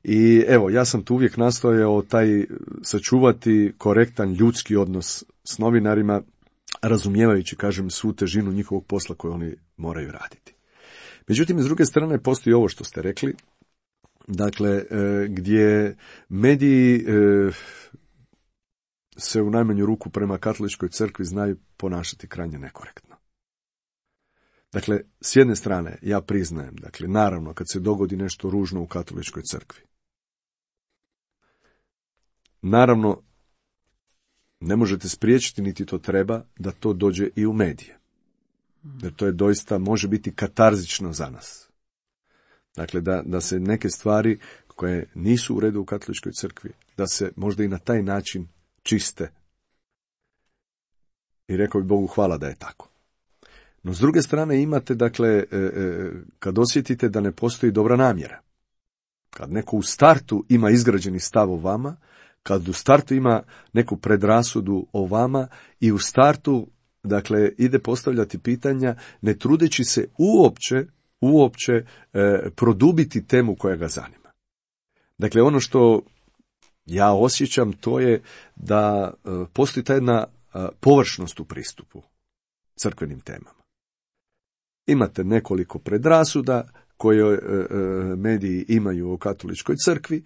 I evo, ja sam tu uvijek nastojao taj sačuvati korektan ljudski odnos s novinarima, razumijevajući, kažem, svu težinu njihovog posla koju oni moraju raditi. Međutim, s druge strane, postoji ovo što ste rekli, dakle, gdje mediji se u najmanju ruku prema katoličkoj crkvi znaju ponašati krajnje nekorektno. Dakle, s jedne strane, ja priznajem, dakle, naravno, kad se dogodi nešto ružno u katoličkoj crkvi, naravno, ne možete spriječiti, niti to treba, da to dođe i u medije. Jer to je doista, može biti katarzično za nas. Dakle, da, da se neke stvari koje nisu u redu u katoličkoj crkvi, da se možda i na taj način čiste. I rekao bi Bogu hvala da je tako. No, s druge strane imate, dakle, kad osjetite da ne postoji dobra namjera, kad neko u startu ima izgrađeni stav o vama, kad u startu ima neku predrasudu o vama i u startu, dakle, ide postavljati pitanja, ne trudeći se uopće, uopće e, produbiti temu koja ga zanima. Dakle, ono što ja osjećam, to je da postoji ta jedna površnost u pristupu crkvenim temama. Imate nekoliko predrasuda koje mediji imaju o katoličkoj crkvi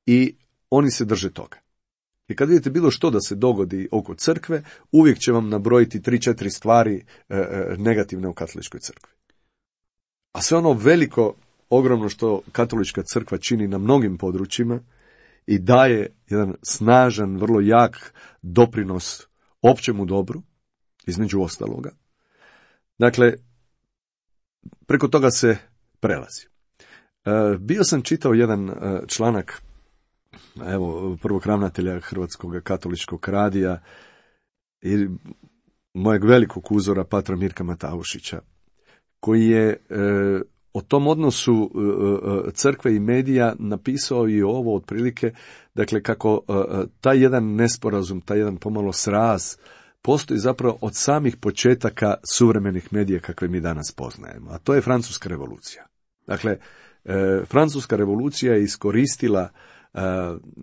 i oni se drže toga. I kad vidite bilo što da se dogodi oko crkve, uvijek će vam nabrojiti tri, četiri stvari negativne u katoličkoj crkvi. A sve ono veliko, ogromno što katolička crkva čini na mnogim područjima i daje jedan snažan, vrlo jak doprinos općemu dobru, između ostaloga. Dakle, preko toga se prelazi. E, bio sam čitao jedan e, članak evo, prvog ravnatelja Hrvatskog katoličkog radija i mojeg velikog uzora patra Mirka Mataušića, koji je e, o tom odnosu e, crkve i medija napisao i ovo otprilike, dakle kako e, taj jedan nesporazum, taj jedan pomalo sraz postoji zapravo od samih početaka suvremenih medija kakve mi danas poznajemo, a to je Francuska revolucija. Dakle, e, Francuska revolucija je iskoristila e,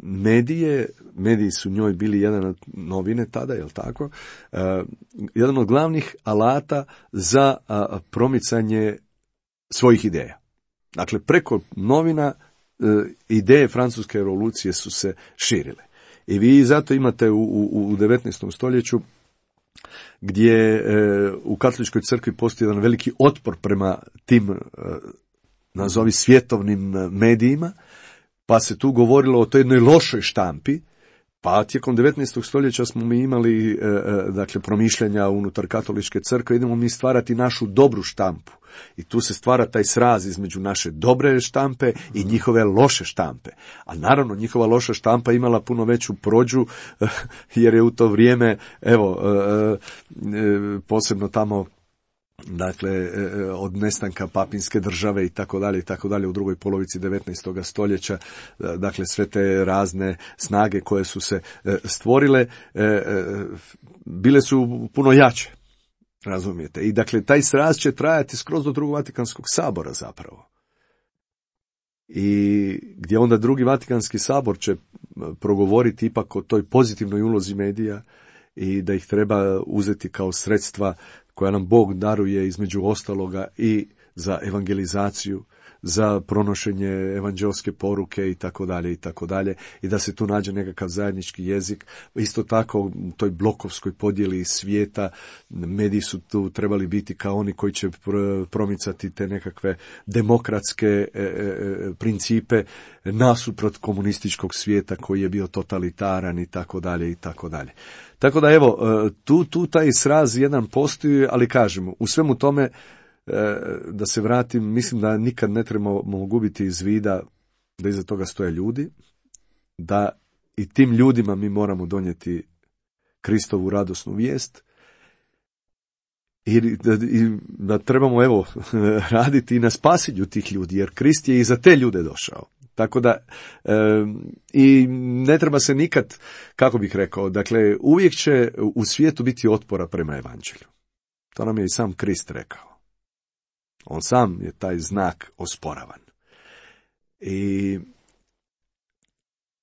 medije, mediji su njoj bili jedan od novine tada, jel tako, e, jedan od glavnih alata za a, promicanje svojih ideja. Dakle, preko novina e, ideje Francuske revolucije su se širile. I vi zato imate u, u, u devetnaestom stoljeću gdje e, u katoličkoj crkvi postoji jedan veliki otpor prema tim, e, nazovi svjetovnim medijima, pa se tu govorilo o toj jednoj lošoj štampi, pa tijekom devetnaestog stoljeća smo mi imali, e, e, dakle, promišljanja unutar katoličke crkve, idemo mi stvarati našu dobru štampu. I tu se stvara taj sraz između naše dobre štampe i njihove loše štampe. A naravno, njihova loša štampa imala puno veću prođu, jer je u to vrijeme, evo, posebno tamo, dakle, od nestanka papinske države i tako dalje i tako dalje u drugoj polovici devetnaestog stoljeća, dakle, sve te razne snage koje su se stvorile, bile su puno jače. Razumijete? I dakle, taj sraz će trajati skroz do drugog Vatikanskog sabora zapravo. I gdje onda drugi Vatikanski sabor će progovoriti ipak o toj pozitivnoj ulozi medija i da ih treba uzeti kao sredstva koja nam Bog daruje između ostaloga i za evangelizaciju, za pronošenje evanđelske poruke i tako dalje i tako dalje, i da se tu nađe nekakav zajednički jezik. Isto tako u toj blokovskoj podjeli svijeta mediji su tu trebali biti kao oni koji će promicati te nekakve demokratske e, e, principe nasuprot komunističkog svijeta koji je bio totalitaran i tako dalje i tako dalje. Tako da evo, tu, tu taj sraz jedan postoji, ali kažemo, u svemu tome, da se vratim, mislim da nikad ne trebamo gubiti iz vida da iza toga stoje ljudi, da i tim ljudima mi moramo donijeti Kristovu radosnu vijest i da, i da trebamo evo raditi i na spasenju tih ljudi, jer Krist je i za te ljude došao. Tako da e, i ne treba se nikad, kako bih rekao, dakle uvijek će u svijetu biti otpora prema evanđelju. To nam je i sam Krist rekao. On sam je taj znak osporavan. I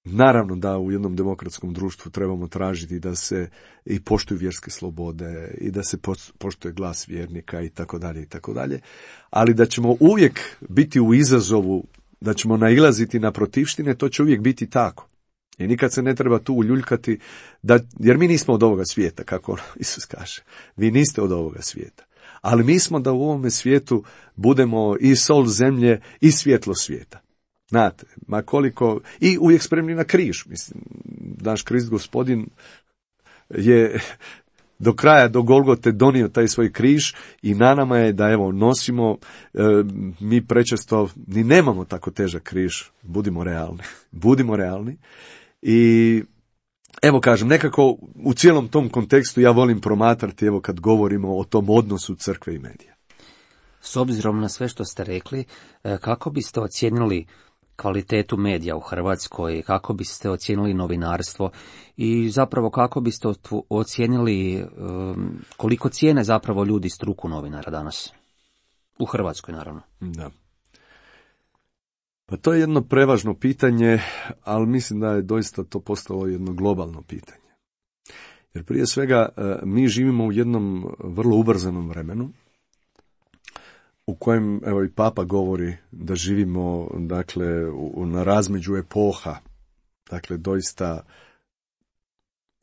naravno da u jednom demokratskom društvu trebamo tražiti da se i poštuju vjerske slobode i da se poštuje glas vjernika i tako dalje i tako dalje, ali da ćemo uvijek biti u izazovu, da ćemo nailaziti na protivštine, to će uvijek biti tako. I nikad se ne treba tu uljuljkati, da, jer mi nismo od ovoga svijeta, kako Isus kaže. Vi niste od ovoga svijeta. Ali mi smo da u ovome svijetu budemo i sol zemlje i svjetlo svijeta. Znate, ma koliko, i uvijek spremni na križ. Mislim, naš Krist Gospodin je do kraja, do Golgote donio taj svoj križ i na nama je da evo nosimo, e, mi prečesto ni nemamo tako težak križ, budimo realni, budimo realni i evo kažem, nekako u cijelom tom kontekstu ja volim promatrati, evo kad govorimo o tom odnosu crkve i medija. S obzirom na sve što ste rekli, kako biste ocijenili kvalitetu medija u Hrvatskoj, kako biste ocijenili novinarstvo i zapravo kako biste ocijenili koliko cijene zapravo ljudi struku novinara danas? U Hrvatskoj, naravno. Da. Pa to je jedno prevažno pitanje, ali mislim da je doista to postalo jedno globalno pitanje. Jer prije svega mi živimo u jednom vrlo ubrzanom vremenu, u kojem, evo i Papa govori da živimo, dakle, u, na razmeđu epoha, dakle, doista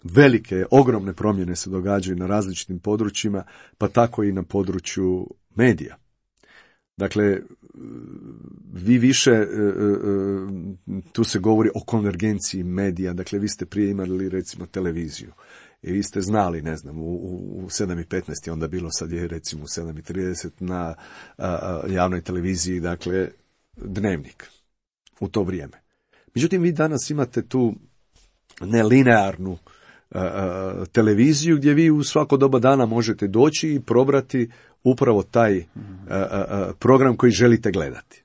velike, ogromne promjene se događaju na različitim područjima, pa tako i na području medija. Dakle, vi više, tu se govori o konvergenciji medija, dakle, vi ste prije imali, recimo, televiziju. I vi ste znali, ne znam, u, u sedam i petnaest je onda bilo, sad je recimo u sedam i trideset na a, a, javnoj televiziji, dakle, dnevnik u to vrijeme. Međutim, vi danas imate tu nelinearnu a, a, televiziju gdje vi u svako doba dana možete doći i probrati upravo taj a, a, a, program koji želite gledati.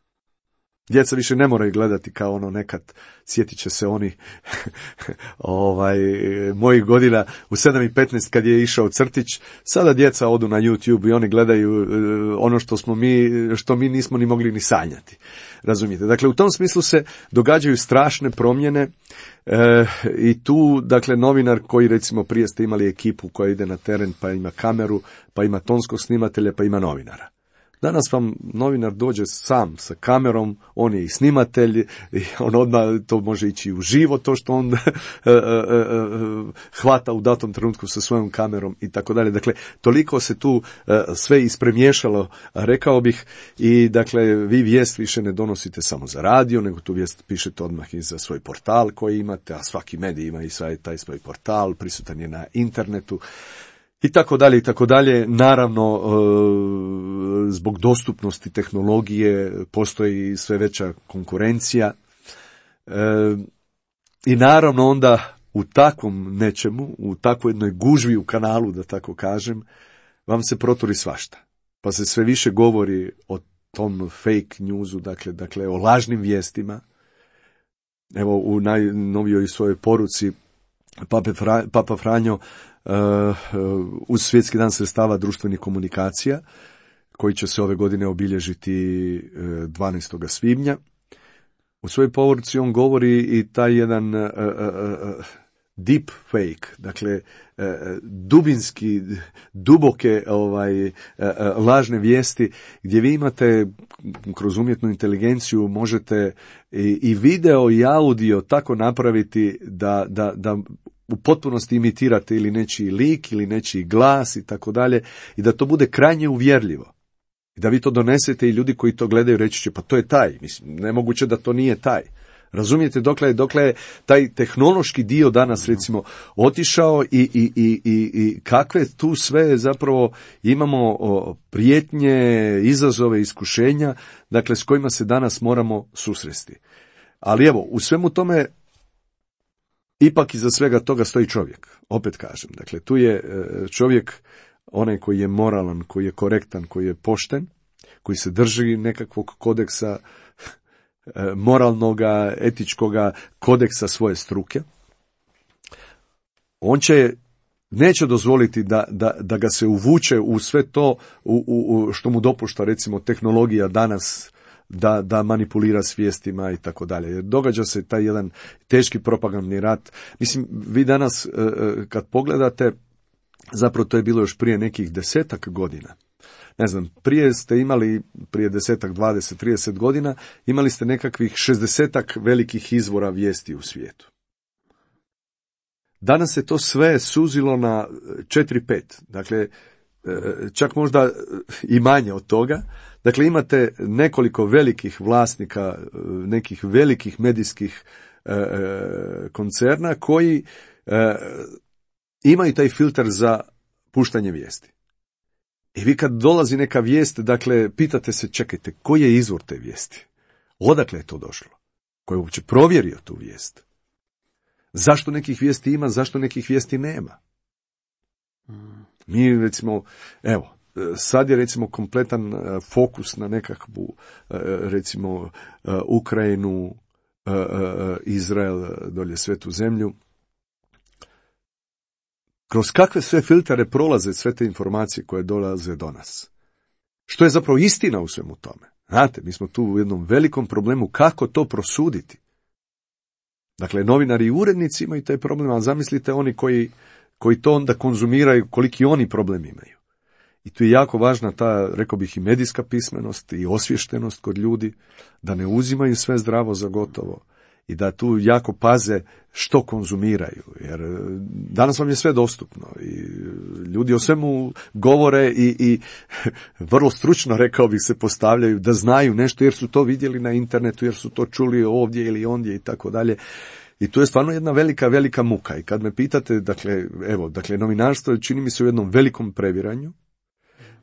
Djeca više ne moraju gledati kao ono nekad, sjetit će se oni ovaj, mojih godina u sedam i petnaest kad je išao crtić, sada djeca odu na YouTube i oni gledaju ono što smo mi, što mi nismo ni mogli ni sanjati. Razumijete? Dakle, u tom smislu se događaju strašne promjene e, i tu, dakle, novinar koji, recimo, prije ste imali ekipu koja ide na teren, pa ima kameru, pa ima tonskog snimatelja, pa ima novinara. Danas vam novinar dođe sam sa kamerom, on je i snimatelj, i on odmah to može ići u živo, to što on hvata u datom trenutku sa svojom kamerom i tako dalje. Dakle, toliko se tu sve ispremiješalo, rekao bih, i dakle, vi vijest više ne donosite samo za radio, nego tu vijest pišete odmah i za svoj portal koji imate, a svaki medij ima i taj svoj portal, prisutan je na internetu. I tako dalje, i tako dalje. Naravno, zbog dostupnosti tehnologije postoji sve veća konkurencija. I naravno onda u takvom nečemu, u takvoj jednoj gužvi u kanalu, da tako kažem, vam se proturi svašta. Pa se sve više govori o tom fake newsu, dakle, dakle o lažnim vijestima. Evo, u najnovijoj svojoj poruci Papa Franjo Uh, uz Svjetski dan sredstava društvenih komunikacija, koji će se ove godine obilježiti dvanaestog svibnja. U svojoj poruci on govori i taj jedan uh, uh, deep fake, dakle uh, dubinski, duboke ovaj, uh, uh, lažne vijesti, gdje vi imate kroz umjetnu inteligenciju možete i, i video i audio tako napraviti da, da, da u potpunosti imitirate ili nečiji lik ili nečiji glas i tako dalje, i da to bude krajnje uvjerljivo. I da vi to donesete i ljudi koji to gledaju reći će, pa to je taj. Mislim, nemoguće da to nije taj. Razumijete dokle je, dokle je taj tehnološki dio danas, recimo, otišao i, i, i, i, i kakve tu sve zapravo imamo o, prijetnje, izazove, iskušenja, dakle, s kojima se danas moramo susresti. Ali evo, u svemu tome, ipak iza svega toga stoji čovjek, opet kažem. Dakle, tu je čovjek onaj koji je moralan, koji je korektan, koji je pošten, koji se drži nekakvog kodeksa, moralnoga, etičkoga kodeksa svoje struke. On će, neće dozvoliti da, da, da ga se uvuče u sve to u, u, što mu dopušta, recimo, tehnologija danas, da, da manipulira svijestima i tako dalje. Jer događa se taj jedan teški propagandni rat. Mislim, vi danas kad pogledate, zapravo to je bilo još prije nekih desetak godina. Ne znam, prije ste imali, prije desetak, dvadeset, trideset godina, imali ste nekakvih šezdesetak velikih izvora vijesti u svijetu. Danas se to sve suzilo na četiri pet. Dakle, čak možda i manje od toga. Dakle, imate nekoliko velikih vlasnika, nekih velikih medijskih e, koncerna koji e, imaju taj filter za puštanje vijesti. I vi kad dolazi neka vijest, dakle, pitate se, čekajte, koji je izvor te vijesti? Odakle je to došlo? Ko je uopće provjerio tu vijest? Zašto nekih vijesti ima, zašto nekih vijesti nema? Mi, recimo, evo, sad je, recimo, kompletan fokus na nekakvu, recimo, Ukrajinu, Izrael, dolje Svetu zemlju. Kroz kakve sve filtere prolaze sve te informacije koje dolaze do nas? Što je zapravo istina u svemu tome? Znate, mi smo tu u jednom velikom problemu kako to prosuditi. Dakle, novinari i urednici imaju taj problem, ali zamislite oni koji, koji to onda konzumiraju, koliki oni problem imaju. I tu je jako važna ta, rekao bih, i medijska pismenost i osviještenost kod ljudi, da ne uzimaju sve zdravo za gotovo i da tu jako paze što konzumiraju, jer danas vam je sve dostupno i ljudi o svemu govore i, i vrlo stručno, rekao bih, se postavljaju da znaju nešto jer su to vidjeli na internetu, jer su to čuli ovdje ili ondje i tako dalje. I tu je stvarno jedna velika, velika muka. I kad me pitate, dakle, evo, dakle, novinarstvo čini mi se u jednom velikom previranju.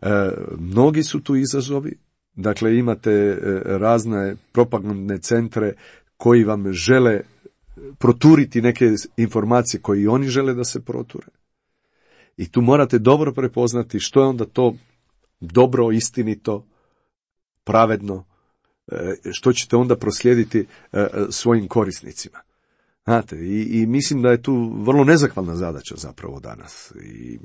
E, mnogi su tu izazovi. Dakle, imate e, razne propagandne centre koji vam žele proturiti neke informacije koje i oni žele da se proture. I tu morate dobro prepoznati što je onda to dobro, istinito, pravedno, e, što ćete onda proslijediti e, svojim korisnicima. Znate, i, i mislim da je tu vrlo nezahvalna zadaća zapravo danas. I,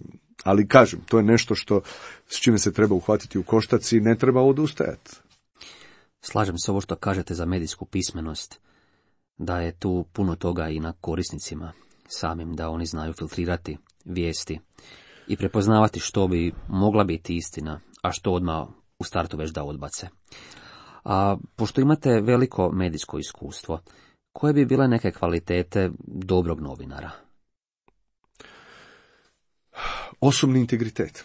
ali kažem, to je nešto što, s čime se treba uhvatiti u koštac i ne treba odustajati. Slažem se ovo što kažete za medijsku pismenost, da je tu puno toga i na korisnicima samim, da oni znaju filtrirati vijesti i prepoznavati što bi mogla biti istina, a što odmah u startu već da odbace. A pošto imate veliko medijsko iskustvo, koje bi bile neke kvalitete dobrog novinara? Osobni integritet.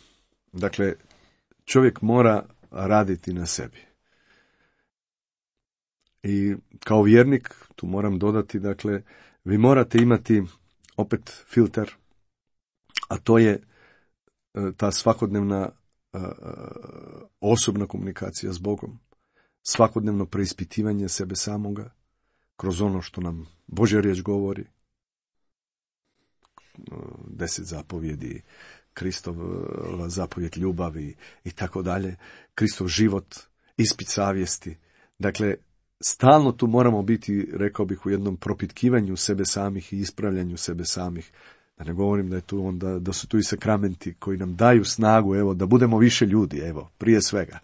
Dakle, čovjek mora raditi na sebi. I kao vjernik, tu moram dodati, dakle, vi morate imati opet filter, a to je ta svakodnevna uh, osobna komunikacija s Bogom, svakodnevno preispitivanje sebe samoga, kroz ono što nam Božja riječ govori, deset zapovjedi, Kristov zapovjed ljubavi i tako dalje, Kristov život, ispit savjesti. Dakle, stalno tu moramo biti, rekao bih, u jednom propitkivanju sebe samih i ispravljanju sebe samih. Da ne govorim da je tu onda, da su tu i sakramenti koji nam daju snagu, evo, da budemo više ljudi, evo, prije svega.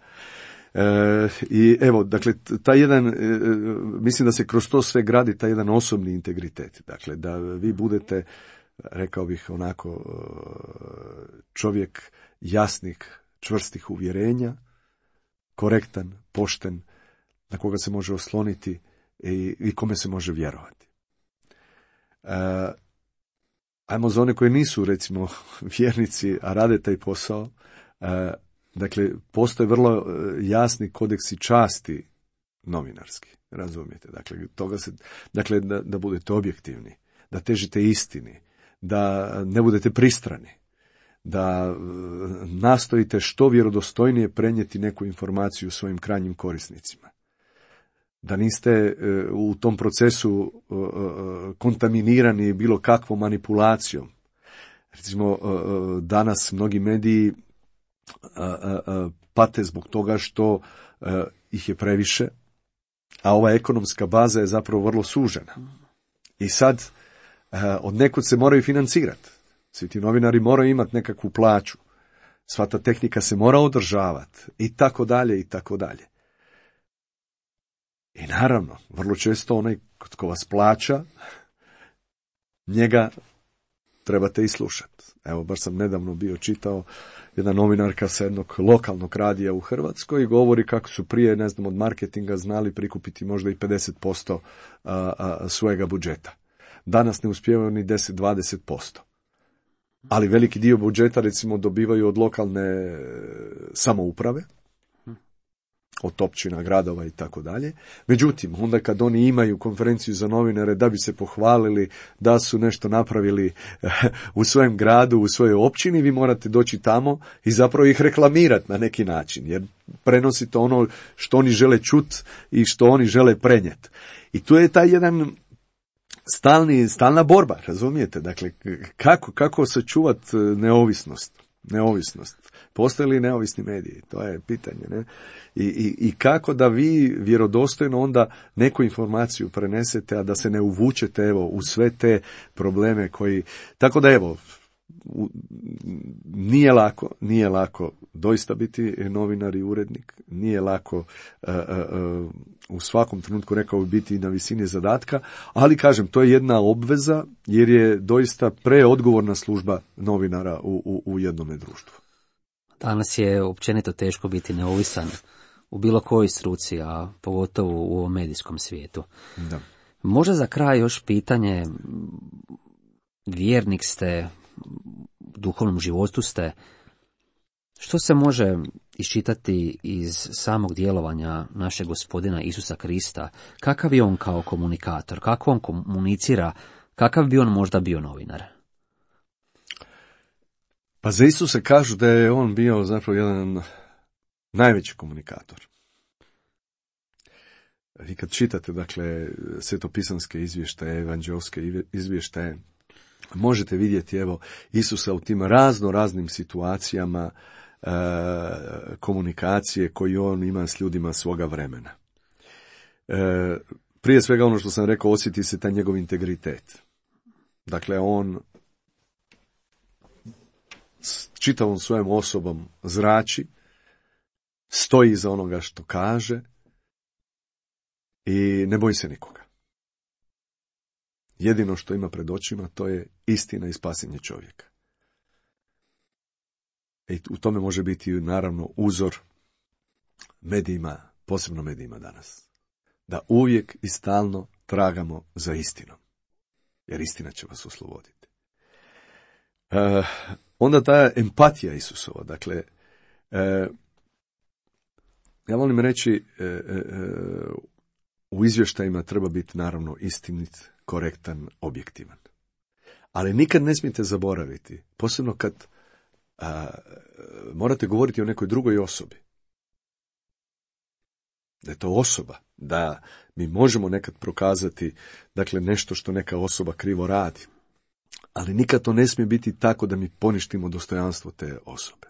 E, I evo, dakle, taj jedan, e, mislim da se kroz to sve gradi taj jedan osobni integritet. Dakle, da vi budete, rekao bih onako, čovjek jasnih, čvrstih uvjerenja, korektan, pošten, na koga se može osloniti i, i kome se može vjerovati. E, ajmo za one koji nisu, recimo, vjernici, a rade taj posao, e, dakle, postoje vrlo jasni kodeksi časti novinarski, razumijete? Dakle, toga se, dakle da, da budete objektivni, da težite istini, da ne budete pristrani, da nastojite što vjerodostojnije prenijeti neku informaciju svojim krajnjim korisnicima. Da niste u tom procesu kontaminirani bilo kakvom manipulacijom. Recimo, danas mnogi mediji pate zbog toga što ih je previše, a ova ekonomska baza je zapravo vrlo sužena. I sad od nekud se moraju financirati. Svi ti novinari moraju imati nekakvu plaću. Sva ta tehnika se mora održavati i tako dalje i tako dalje. I naravno, vrlo često onaj tko vas plaća, njega trebate i slušati. Evo, baš sam nedavno bio čitao, jedna novinarka sa jednog lokalnog radija u Hrvatskoj govori kako su prije, ne znam, od marketinga znali prikupiti možda i pedeset posto a, a, svojega budžeta. Danas ne uspijevaju ni deset do dvadeset posto. Ali veliki dio budžeta, recimo, dobivaju od lokalne samouprave, od općina, gradova i tako dalje. Međutim, onda kad oni imaju konferenciju za novinare da bi se pohvalili da su nešto napravili u svojem gradu, u svojoj općini, vi morate doći tamo i zapravo ih reklamirati na neki način, jer prenosite ono što oni žele čuti i što oni žele prenijeti. I tu je taj jedan stalni, stalna borba, razumijete? Dakle, kako, kako sačuvati neovisnost? Neovisnost. Postoje li neovisni mediji? To je pitanje, ne? I, i, i kako da vi vjerodostojno onda neku informaciju prenesete, a da se ne uvučete, evo, u sve te probleme koji... Tako da, evo, nije lako, nije lako doista biti novinar i urednik, nije lako uh, uh, u svakom trenutku, rekao bi, biti na visini zadatka, ali kažem, to je jedna obveza jer je doista preodgovorna služba novinara u, u, u jednome društvu. Danas je općenito teško biti neovisan u bilo kojoj struci, a pogotovo u ovom medijskom svijetu. Da. Možda za kraj još pitanje, vjernik ste, u duhovnom životu ste, što se može iščitati iz samog djelovanja našeg Gospodina Isusa Krista? Kakav je on kao komunikator? Kako on komunicira? Kakav bi on možda bio novinar? Pa za Isusa kažu da je on bio zapravo jedan najveći komunikator. Vi kad čitate, dakle, svetopisanske izvještaje, evanđelske izvještaje, možete vidjeti, evo, Isusa u tim razno raznim situacijama e, komunikacije koji on ima s ljudima svoga vremena. E, prije svega ono što sam rekao, osjeti se taj njegov integritet. Dakle, on s čitavom svojom osobom zrači, stoji iza onoga što kaže i ne boji se nikoga. Jedino što ima pred očima, to je istina i spasenje čovjeka. I u tome može biti, naravno, uzor medijima, posebno medijima danas. Da uvijek i stalno tragamo za istinom. Jer istina će vas osloboditi. E, onda ta empatija Isusova. Dakle, e, ja volim reći, e, e, u izvještajima treba biti, naravno, istinit, korektan, objektivan. Ali nikad ne smijete zaboraviti, posebno kad a, morate govoriti o nekoj drugoj osobi. Da je to osoba, da mi možemo nekad prokazati, dakle, nešto što neka osoba krivo radi. Ali nikad to ne smije biti tako da mi poništimo dostojanstvo te osobe.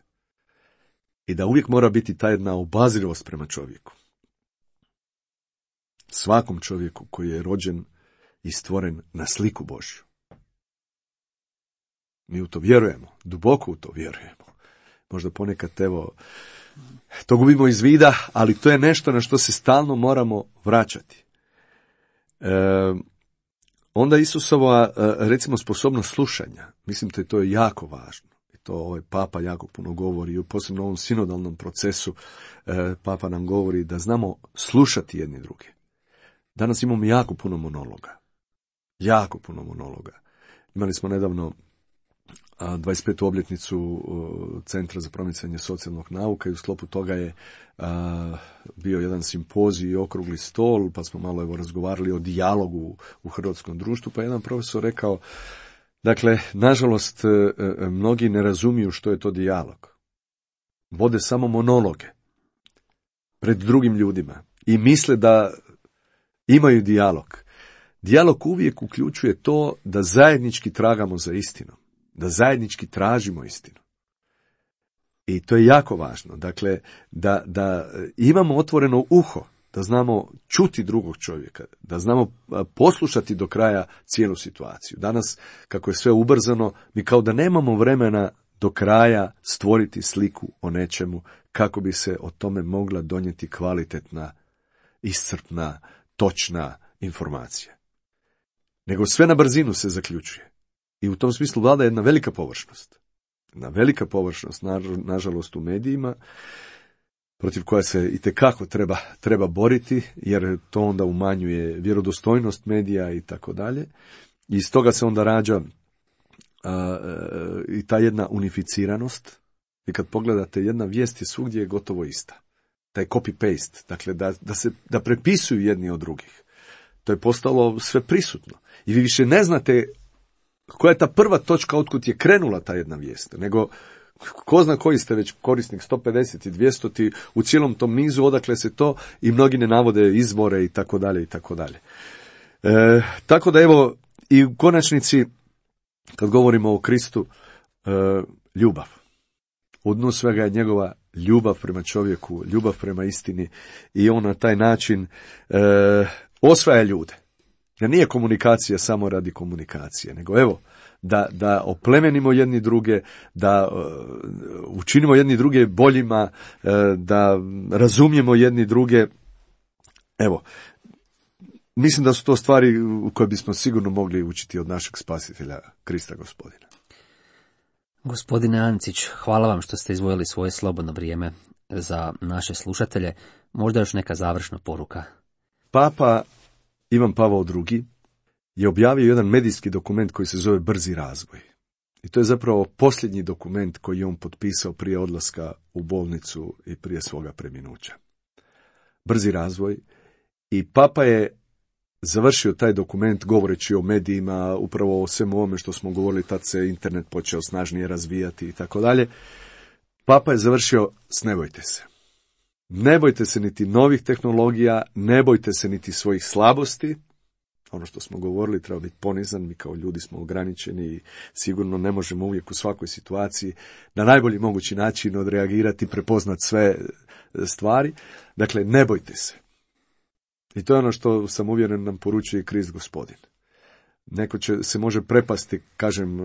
I da uvijek mora biti ta jedna obazrivost prema čovjeku. Svakom čovjeku koji je rođen i stvoren na sliku Božju. Mi u to vjerujemo, duboko u to vjerujemo. Možda ponekad, evo, to gubimo iz vida, ali to je nešto na što se stalno moramo vraćati. E, onda Isusova, recimo, sposobnost slušanja, mislim da je to jako važno. I to ovaj Papa jako puno govori, posebno u ovom sinodalnom procesu e, Papa nam govori da znamo slušati jedni druge. Danas imamo jako puno monologa. Jako puno monologa. Imali smo nedavno dvadeset petu obljetnicu Centra za promicanje socijalnog nauka i u sklopu toga je a, bio jedan simpozij i okrugli stol, pa smo malo evo razgovarali o dijalogu u hrvatskom društvu, pa jedan profesor rekao, dakle, nažalost, mnogi ne razumiju što je to dijalog. Vode samo monologe pred drugim ljudima i misle da imaju dijalog. Dijalog uvijek uključuje to da zajednički tragamo za istinom, da zajednički tražimo istinu. I to je jako važno. Dakle, da, da imamo otvoreno uho, da znamo čuti drugog čovjeka, da znamo poslušati do kraja cijelu situaciju. Danas, kako je sve ubrzano, mi kao da nemamo vremena do kraja stvoriti sliku o nečemu, kako bi se o tome mogla donijeti kvalitetna, iscrpna, točna informacija. Nego sve na brzinu se zaključuje. I u tom smislu vlada jedna velika površnost. Jedna velika površnost, nažalost, u medijima, protiv koja se itekako treba, treba boriti, jer to onda umanjuje vjerodostojnost medija i tako dalje. I iz toga se onda rađa a, i ta jedna unificiranost. I kad pogledate, jedna vijest je svugdje gotovo ista. Taj copy-paste, dakle da, da se da prepisuju jedni od drugih. To je postalo sve prisutno. I vi više ne znate koja je ta prva točka otkud je krenula ta jedna vijest, nego ko zna koji ste već korisnik, sto pedeset i dvjesto u cijelom tom nizu, odakle se to, i mnogi ne navode izvore i tako dalje i tako dalje. E, tako da evo, i u konačnici, kad govorimo o Kristu, e, ljubav. U dnu svega je njegova ljubav prema čovjeku, ljubav prema istini, i on na taj način e, osvaja ljude. Jer nije komunikacija samo radi komunikacije, nego evo, da, da oplemenimo jedni druge, da uh, učinimo jedni druge boljima, uh, da razumijemo jedni druge. Evo, mislim da su to stvari u koje bismo sigurno mogli učiti od našeg spasitelja Krista Gospodina. Gospodine Ancić, hvala vam što ste izdvojili svoje slobodno vrijeme za naše slušatelje. Možda još neka završna poruka. Papa Ivan Pavao drugi je objavio jedan medijski dokument koji se zove Brzi razvoj. I to je zapravo posljednji dokument koji je on potpisao prije odlaska u bolnicu i prije svoga preminuća. Brzi razvoj. I Papa je završio taj dokument govoreći o medijima, upravo o svemu ovome što smo govorili, tad se internet počeo snažnije razvijati i tako dalje. Papa je završio s ne bojte se. Ne bojte se niti novih tehnologija, ne bojte se niti svojih slabosti. Ono što smo govorili, treba biti ponizan, mi kao ljudi smo ograničeni i sigurno ne možemo uvijek u svakoj situaciji na najbolji mogući način odreagirati, prepoznati sve stvari. Dakle, ne bojte se. I to je ono što sam uvjeren nam poručuje Krist Gospodin. Neko će, se može prepasti, kažem,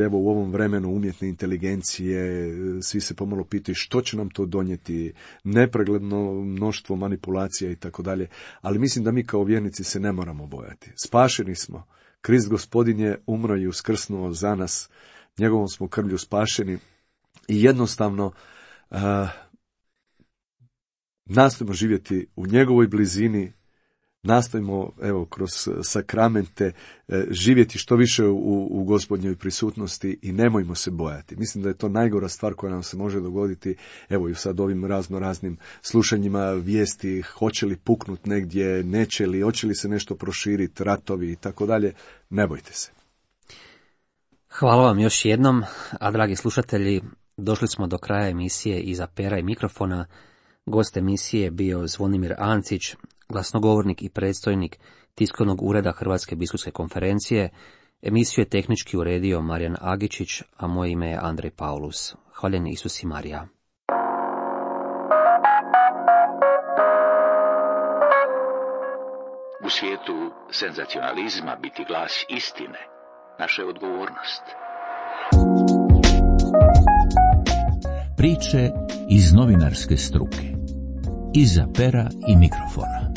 evo u ovom vremenu umjetne inteligencije, svi se pomalo pitaju što će nam to donijeti, nepregledno mnoštvo manipulacija i tako dalje, ali mislim da mi kao vjernici se ne moramo bojati. Spašeni smo. Krist Gospodin je umro i uskrsnuo za nas, njegovom smo krvlju spašeni i jednostavno uh, nastojimo živjeti u njegovoj blizini, nastojimo, evo, kroz sakramente živjeti što više u, u Gospodnjoj prisutnosti i nemojmo se bojati. Mislim da je to najgora stvar koja nam se može dogoditi, evo i sad ovim razno raznim slušanjima vijesti, hoće li puknut negdje, neće li, hoće li se nešto proširiti, ratovi i tako dalje, ne bojte se. Hvala vam još jednom, a dragi slušatelji, došli smo do kraja emisije Iza pera i mikrofona. Gost emisije je bio Zvonimir Ancić, glasnogovornik i predstojnik tiskovnog ureda Hrvatske biskupske konferencije. Emisiju je tehnički uredio Marijan Agičić, a moje ime je Andrej Paulus. Hvaljen Isus i Marija. U svijetu senzacionalizma biti glas istine, naša je odgovornost. Priče iz novinarske struke. Iza pera i mikrofona.